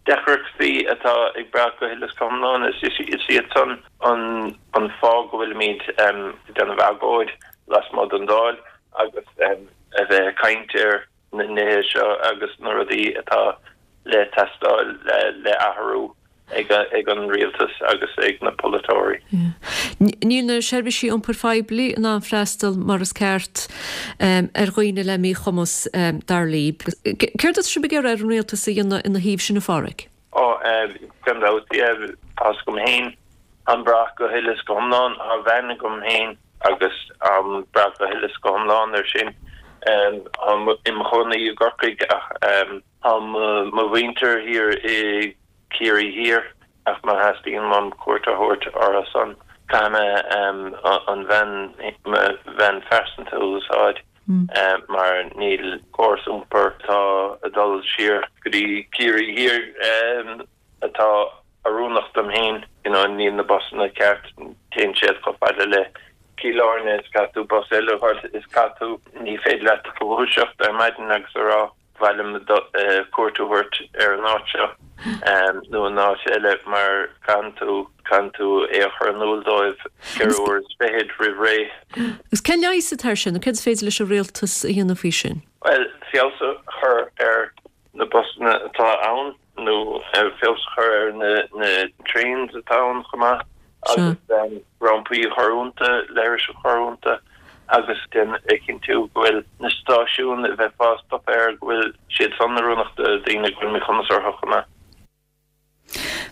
Deacrachtaí atá ag brath go huile is go hiomlán, is iad san an fáth go bhfuilimid ag déanamh agóid lasmuigh den Dáil agus a bheith ag caint ar na nithe seo agus na rudaí atá le teastáil le athrú ag an rialtas agus ag na polaiteoirí. Níl na seirbhísí iompair phoiblí in ann freastal mar is ceart ar dhaoine le míchumas, dar libh. Céard atá sibh ag iarraidh ar an rialtas a dhéanamh ina thaobh sin, a Pháraic? Ó, gan dabht, yeah, tá's agam féin, táim ag brath go huile is go hiomlán, tá veain agam féin agus táim ag brath go huile is go hiomlán air sin. Táim im chónaí i gCorcaigh ach tá mo mhuintir thiar i Ciarraí Thiar, ach má theastaíonn uaim cuairt a thabhairt orthu san, caithfidh mé an veain, mo veain phearsanta a úsáid mar níl córas iompair atá ag dul siar go dtí Ciarraí Thiar atá oiriúnach dom féin. You know, níl na busanna ceart, téann siad chomh fada le Cill Airne is caithfidh tú bus eile a fháil is caithfidh tú, ní féidir leat dúiseacht ar maidin agus a rá mhaith liom cuairt a thabhairt ar an áit seo nó an áit eile mar caitheann tú, caitheann tú é a chur in iúl dóibh ceithre uair is fichead roimh ré. Agus cén leigheas atá air sin nó céard is féidir leis an rialtas a dhéanamh faoi sin? Bhuel, feabhas a chur ar na busanna atá ann nó feabhas a chur ar na trains atá ann chomh maith agus rampaí a chur iontu, leithris a chur iontu. Agus déan a chinntiú go bhfuil na stáisiúin a bheifeá ag stopadh air, go bhfuil siad san oiriúnach do daoine go bhfuil míchumas orthu chomh maith.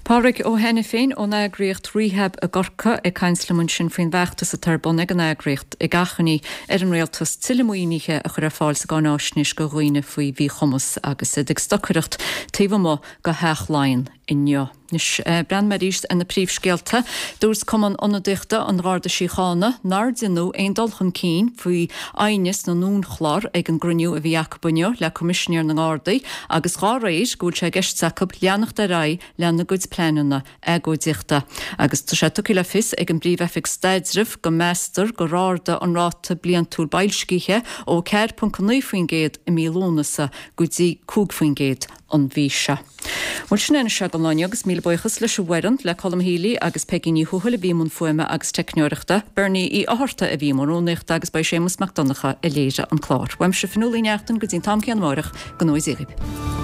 Pádraig Ó hAiniféin ón eagraíocht Rehab i gCorcaigh ag caint liom ansin faoin bhfeachtas atá ar bun ag an eagraíocht ag achainí ar an Rialtas tuilleadh maoinithe a chur ar fáil sa gcáináisnéis do dhaoine faoi mhíchumas agus iad ag stocaireacht taobh amuigh de Theach Laighean inniu. Anois, breathnóidh mé arís ar na príomhscéalta. Dúirt Cumann Ionadaíochta an Gharda Síochána nár deineadh aon dul chun cinn faoi aighneas na nDúnchlár ag an gcruinniú a bhí acu inniu le Coimisinéir na nGardaí agus dhá réir go bhfuil sé i gceist acu leanacht ar aghaidh lena gcuid pleananna agóidíochta. Agus tá sé tugtha le fios ag an bPríomh-Oifig Staidrimh go meastar gur ardaigh an ráta bliantúil boilscithe ó 4.9% i mí Lúnasa go dtí 5% an mhí seo. Bhuel, sin é anois don lá inniu agus míle buíochas leis an bhfoireann, le Colm Healy agus Peigí Ní Thuathail a bhí i mbun fuaime agus teicneoireachta, Bernie Uí Fhátharta a bhí i mbun rúnaíochta agus ba é Séamus Mac Donncha a léirigh an clár. Uaimse Fionnuala Uí Neachtain go dtí an t-am céanna amáireach, go ngnóthaí Dia dhaoibh.